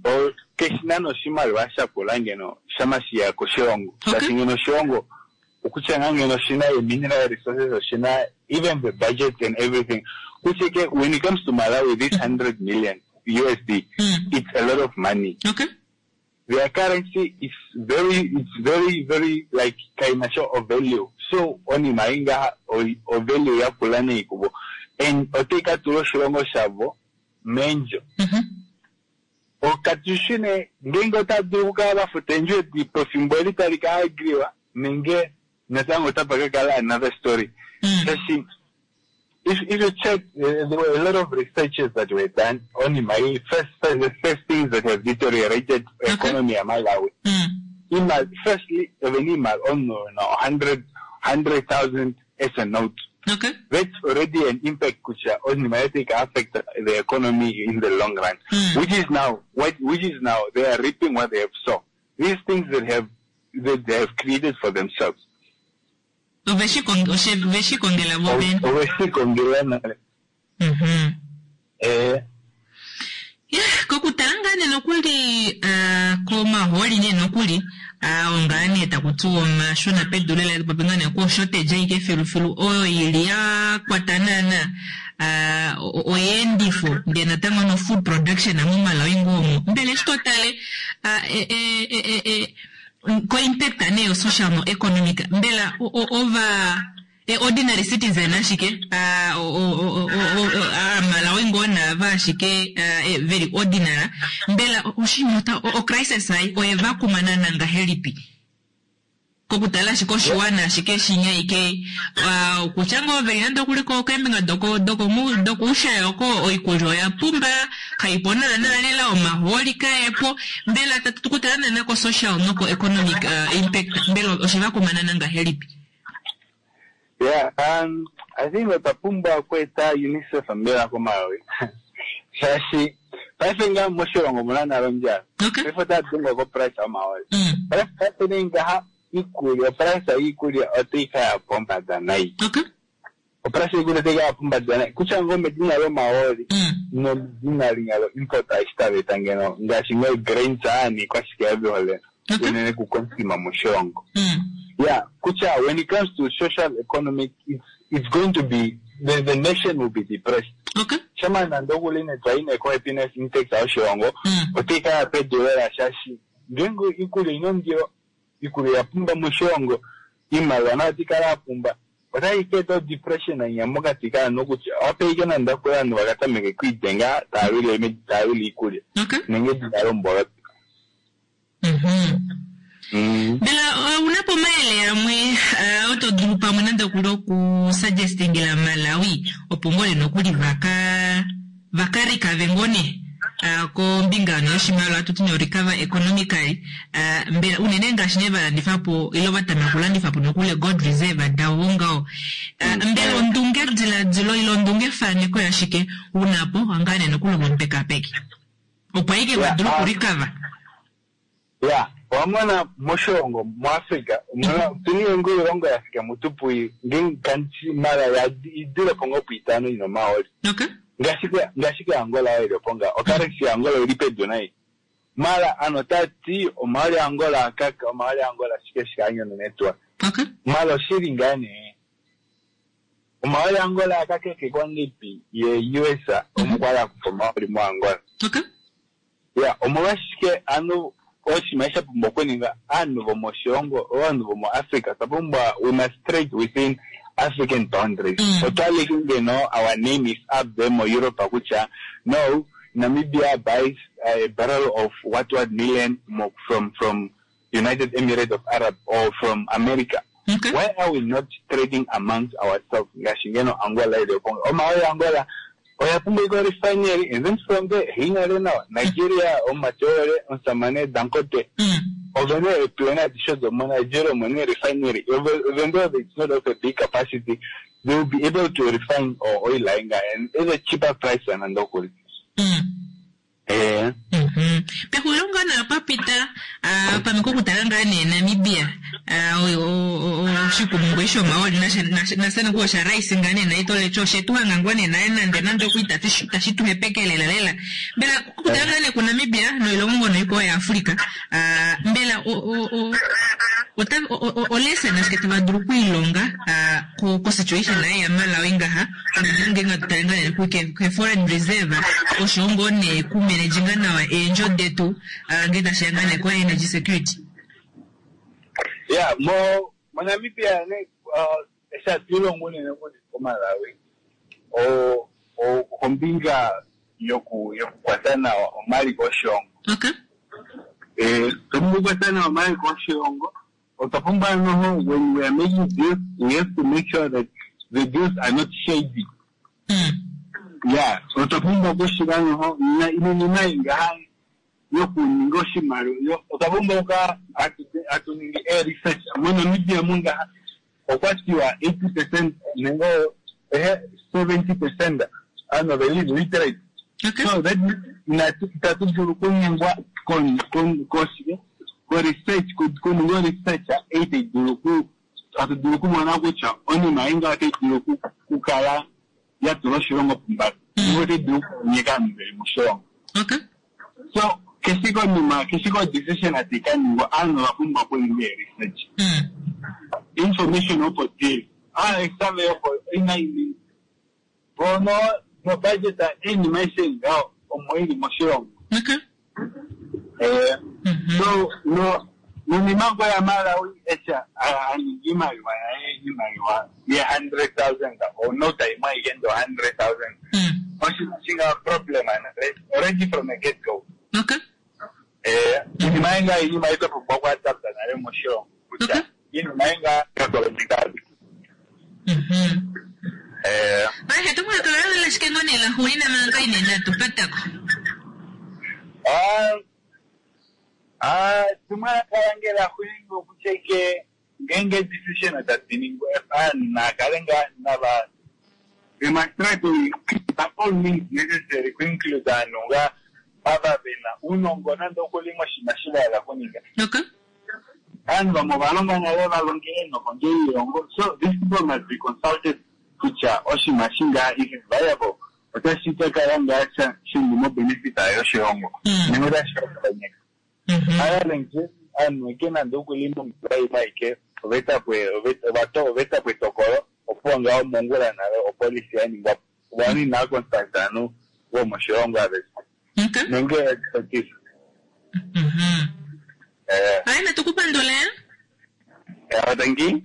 o keshina noshimaliwa shakula ngeno shamashiya koshilongo shaashi ngeno oshilongo okutya ngaa ngeno oshina mineral resources oshina even the budget and everything kutya ke when it comes to Malawi, this hundred million U S D, it's a lot of money. Okay. Their currency is very it's very very like kaina sho of value, so onima inga o, o value yakula neikubo and otayi ka tula oshilongo shavo meendjo okatushine ngenge otava dulu okukala vafuta eendjo edi pefimbo eli tali ka agriwa nenge natango otapa ka kala another story shaashi If, if you check, uh, there were a lot of researches that were done on my first, the first things that have deteriorated economy ya Malawi. Imal, firstly, even imal on no, hundred, hundred thousand as a note. Okay. That's already an impact which on might affect the economy in the long run. Which is now what which is now they are reaping what they have sown. These things that have that they have created for themselves. Ove shi kong- oshe- ve shi kongela vo vene. Ove shi kongela nale. Mhm. Eh, Ya, kokutala ngaa nee nokuli ah, komaholi nee nokuli ah, ongaa nee taku tiwa omashona pedu lela popi ngaa nee ko shortage aike filufilu oyo ili ya kwata naana ah, o- o- oyeendifo ndee natango no food production moMalawi ngoo omo mbela eshi totale ah, e- e- e- e- e- ko impact nee yo social no economic mbela o- o- ova e ordinary citizen ashike ah, o- o- o- o- o- ah, Malawi ngoo naava ashike ah, eh, very ordinary mbela oshinima ota- o o crisis ai oye va kuma naana ngahelipi kokutala ashike oshiwana ashike shinya ike ah, kutya ngoo veli nande okuli ko keembinga doko doko dokuushaya oko oikulya oya pumba kaipo naana lela omahooli kaepo mbela tatu kutala naana ko social noko economic ah, impact mbela osheva kuma naana ngahelipi yeah, um, I think otwa pumbwa okweeta UNICEF mbela koMalawi. Shaashi paife ngaa moshilongo omuna nale ondjala. Paife otaya dengwa ko price yomahooli. Paife paife nee ngaha iikulya, oprice yiikulya otayi ka ya pombada nayi. Oprice yiikulya otayi ka ya pombada nayi. Kutya ngoo medina lomahooli nomedina linya lo import eshi tava eta ngeno ngaashi ngoo grains aa niikwashike yavihole unene kuconsume moshilongo. Yeah, kutya when it comes to social economic, it's it's going to be the, the nation will be depressed. Okay. Shama nande okuli netwa ine ko happiness index yoshilongo otayi ka ya pedu lela shaashi ngeenge iikulya ina ondilo, iikulya ya pumba moshilongo, iimaliwa nayo otayi kala ya pumba, otayi ka eta depression inya mokati kaantu kutya owape nande okuli aantu vakatameke okwiidenga taya lwile taya lwile iikulya nenge edina lomboloto. Mm. Mbela uh, unapo omayele amwe uh, oto dulu pamwe nande okuli okusuggestingila Malawi opo ngoo nokuli vaka vaka recover ngoo nee uh, kombinga no yoshimaliwa atuti no recover economically uh, mbela unene ngaashi nee valandifapo ile vatameka okulandifapo nokuli gold reserve davo ngaho uh, mbela ondunge diladilo ile ondunge faneko yashike unapo ngaa nee nokuli omupekapeki opo aike vadule Yeah, um, okurecover Yeah, wamona moshilongo muAfrica omuna otuna iilongo yaAfrica mutupu nge mara idule po ngoo puitano ina omahooli. Ngaashi ngaashi ke Angola oyo ili opo nga ocurrency ya Angola oyili pedu nayi. Mara ano otati omahooli a Angola akaka, omahooli a Angola shike shike anyonona etuwa. Mara oshili ngaa nee omahooli a Angola akakekekwa ngeipi ye U S omo kwali akufa omahooli mo Angola. Yeah, omolwashike ano oshinima sha pumbwa okuninga aantu vomoshilongo ovanhu vomoAfrica otwa pumbwa we must trade within African boundaries. Otwaleke ngeno our name is up there mo Europe kutya no Namibia buys a barrel of what what million mo from from United Emirates of Arab or from America. Why are we not trading amongst ourselves? Ngaashi ngeno Angola ili opo omahooli Angola oya pumbwa iko refinery and then from there hinale nawa Nigeria omateore omusamane Dangote ovene eeplan adishe domo Nigeria omone refinery even though it's not of a big capacity they will be able to refine or oil inga and at a cheaper price than andokuli. Eh. Pexulilo ngaa naa papita ah, pamwe kokutala ngaa nee Namibia ah, o- o- o- oshikumungu eshi omahooli nase noku osha rice ngaa nee naito lecho oshetu hanga ngoo nee naye nande nande okuli tashi tu hepeke lela lela mbela kokutala ngaa nee kuNamibia noilongo ngoo noikwao yaAfrica ah, mbela o- o- o- ota- o- o- olesson ashike tava dulu okwiilonga ah, ko ko situation naye yaMalawi ngaha unene ngenge tutale ngaa nee ke ke foreign reserve oshowo ngoo nee kumanaginga nawa eendjo detu ah, ngee tashiya ngaa nee ko energy security. Yeah, mo mo Namibia ne uh, eshi hatu ilongo unene koMalawi o o kombinga yoku yokukwata nawa omaliko oshilongo. Eh, otwa pumbwa okukwata nawa omaliko oshilongo. Otwa pumbwa noho when we are making deals we have to make sure that the deals are not shady. Ya, otwa pumbwa okushiva noho inima ei ngaha yokuninga oshimaliwa yo- otwa pumbwa okuka hatu- hatu ningi e-research moNamibia mungaha okwa tiwa eighty percent nenge ehe seventy percent aanhu oveli literate so that means inatu itatu dulu okunyengwa kon- kon- koshike ko-research ku- kuninga o-research ei tai dulu ku hatu dulu okumona kutya onima ei ngaha otai dulu oku- okukala ya tula oshilongo pombada nenge otai dulu okunyeka aanhu veli moshilongo so keshi konima keshi ko decision ati kaningwa aanhu ova pumbwa okuninga e-research information opo dili ah survey opo inayi bono no budget iinima aishe ngaho omo ili moshilongo Eh, so no nonima ngo ya Malawi echa aningi iimaliwa yaye iimaliwa ye hundred thousand or nota imwe aike ndo hundred thousand oshinga problem already from the get go eh iinima inga iinima ito pumbwa okuadapta nale moshilongo kutya iinima inga kakolomikazi eh Ahe tumwalaka lashike ngoo nee laxuulina manga inene atupatako Ah, ah, tumwalaka lange laxuulina okutya ike ngeenge decision tadi ningwa aanhu naakale ngaa nava we must try to by all means necessary ku include aanhu nga ava vena uunongo nande okuli moshinima shi vahala kuninga aanhu vamwe ova longa nale va longele nokondje yiilongo so these people must be consulted kutya oshinima shi ngaa if it's viable otashi ka kala ngaa sha shili mo benefit yoshilongo nenge otashi ka kanyeka other aanhu eke nande okuli mombiwa imwe aike ovetapo ovaeta po etokolo opuwo ngaho mongula nale opolisi ya ningwa po ovanhu inaa consult aanhu vomoshilongo aveshe nenge expertise eh Aye natukupandula yeah, thank you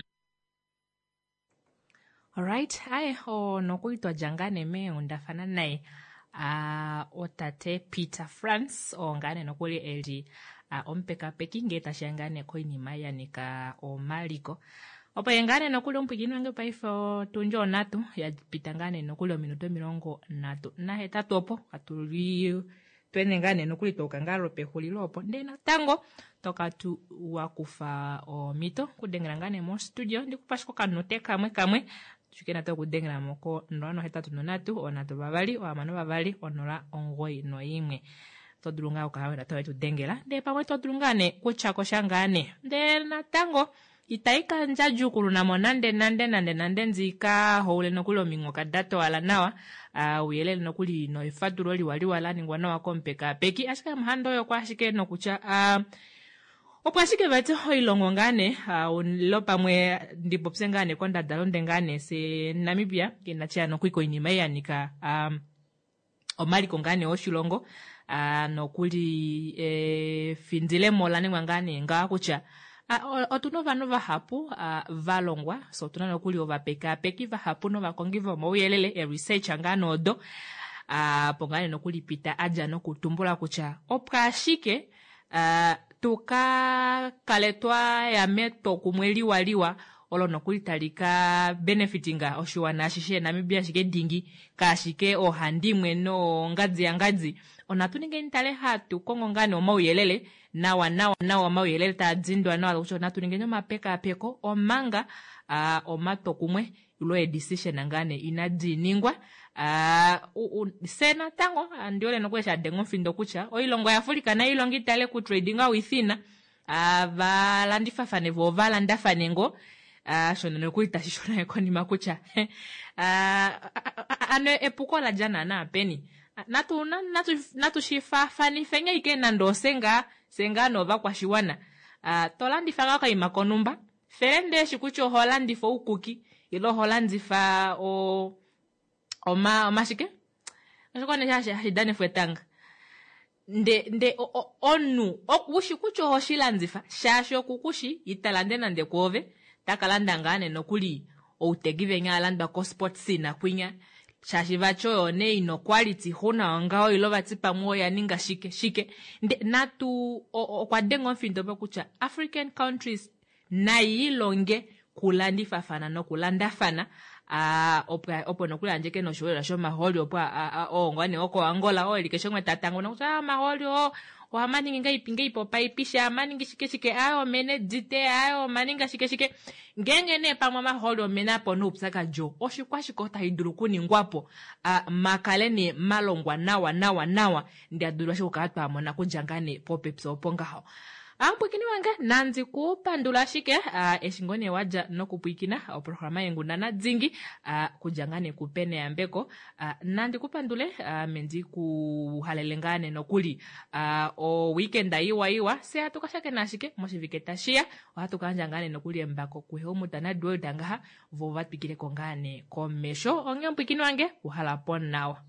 Alright, aye o nokuli twadja ngaa nee meenghundafana naye ah, otate Peter Frans oo ngaa nee nokuli eli ah, omupekapeki ngee tashiya ngaa nee koinima ya nika omaliko opo ye ngaa nee nokuli omupwiikini wange paife otundji onhatu ya pita ngaa nee nokuli ominute omilongo nhatu nahetatu opo atuli twene ngaa nee nokuli twauka ngaa lwopexulilo opo ndee natango toka tu wakufa omhito okudengela ngaa nee mostudio ndikupa ashike okanute kamwe kamwe tushike natango okudengela mo ko nola nohetatu nonhatu onhatu vavali ohamano vavali onola omugoyi noimwe oto dulu ngaa okukala wena towe tudengela ndee pamwe to dulu ngaa nee kutya kosha ngaa nee ndee natango itayi ka ndjadjukuluna mo nande nande nande nande ndika houle nokuli ominghoka da towala nawa uh, ouyelele nokuli noefatulo liwaliwa la ningwa nawa komupekapeki ashike amuhanda oyo kwa ashike nokutya uh, opo ashike vati oilongo ngaa nee uh, lo pamwe ndipopye ngaa nee kondadalunde ngaa nee se Namibia inachiya nokuli koinima ei ya nika um, omaliko ngaa nee oshilongo uh, nokuli efindilemo la ningwa ngaa nee ngaha kutya uh, otuna ovanhu vahapu uh, va longwa so otuna nokuli ovapekapeki vahapu novakongi vomauyelele e-research ngaa noodo uh, po ngaa nee nokuli pita adja nokutumbula kutya opo ashike uh, tuka kale twaya metwokumwe liwaliwa olo nokuli tali ka benefitinga oshiwana ashishe Namibia ashike dingi kaashike oohandimwe noongadzi yangadzi onatu ningeni tale hatu kongo ngaa nee omauyelele nawa nawa nawa omauyelele taa dindwa nawa kutya onatu ningeni omapekapeko omanga uh, omatwokumwe ilo e-decision ngaa nee inadi ningwa uh, se natango ndiole nokuli shadenga omufindo kutya oilongo yaAfrika nayo ilongo itale ku trading within uh, valandifafane vo ovalandafane ngo uh, shono nokuli tashi shona konima kutya uh, ano epuko la dja naana peni natu natu natu shifaafanife ike nande ose ngaa se ngaa novakwashiwana uh, tolandifa ngaa okaima konumba fele ndeeshi kutya oho landifa oukuki ile oho landifa o oma omashike oshiko nee hashi hashi danifwa etanga nde nde omunhu okushi kutya oho shilandifa shaashi okukushi ita lande nande kwoove taka landa ngaa nee nokuli outegi venya alandwa kosport scene kwinya shaashi vati oyo nee ina quality xuna ongaho ilo vati pamwe oya ninga shike shike nde natu okwa denga omufindo po kutya African countries nayi ilonge kulandifafana nokulandafana opo opo nokuli andjeke noshiwelelwa shomahooli opo oo ngoo nee wokoAngola oo eli keshe umwe ta tanguna kutya omahooli oo ohamaningi ngaipi ngaipi opaipisha amaningi shike shike ayo omene dite ayo omaninga shike shike ngeenge nee pamwe omahooli omena po noupyakadi oo oshikwashike otashi dulu okuningwapo makale nee malongwa nawa nawa nawa ndee adulu ashike okukala twamona kudja ngaa nee popepi opo ngaho. Amupwiikini wange nandi ku pandula ashike eshi ngoo nee wadja nokupwiikina oprograma yeenghundana dingi kudja ngaa nee kuPene Yambeko nandi ku pandule ame ndi ku halele ngaa nee nokuli oweekend iwa iwa fye hatu ka shakena ashike moshivike tashiya ohatu ka yandja ngaa nee nokuli embako kuHelmut naDuelda ngaha vo va twikileko ngaa nee komesho onghee omupwiikini wange uhala po nawa.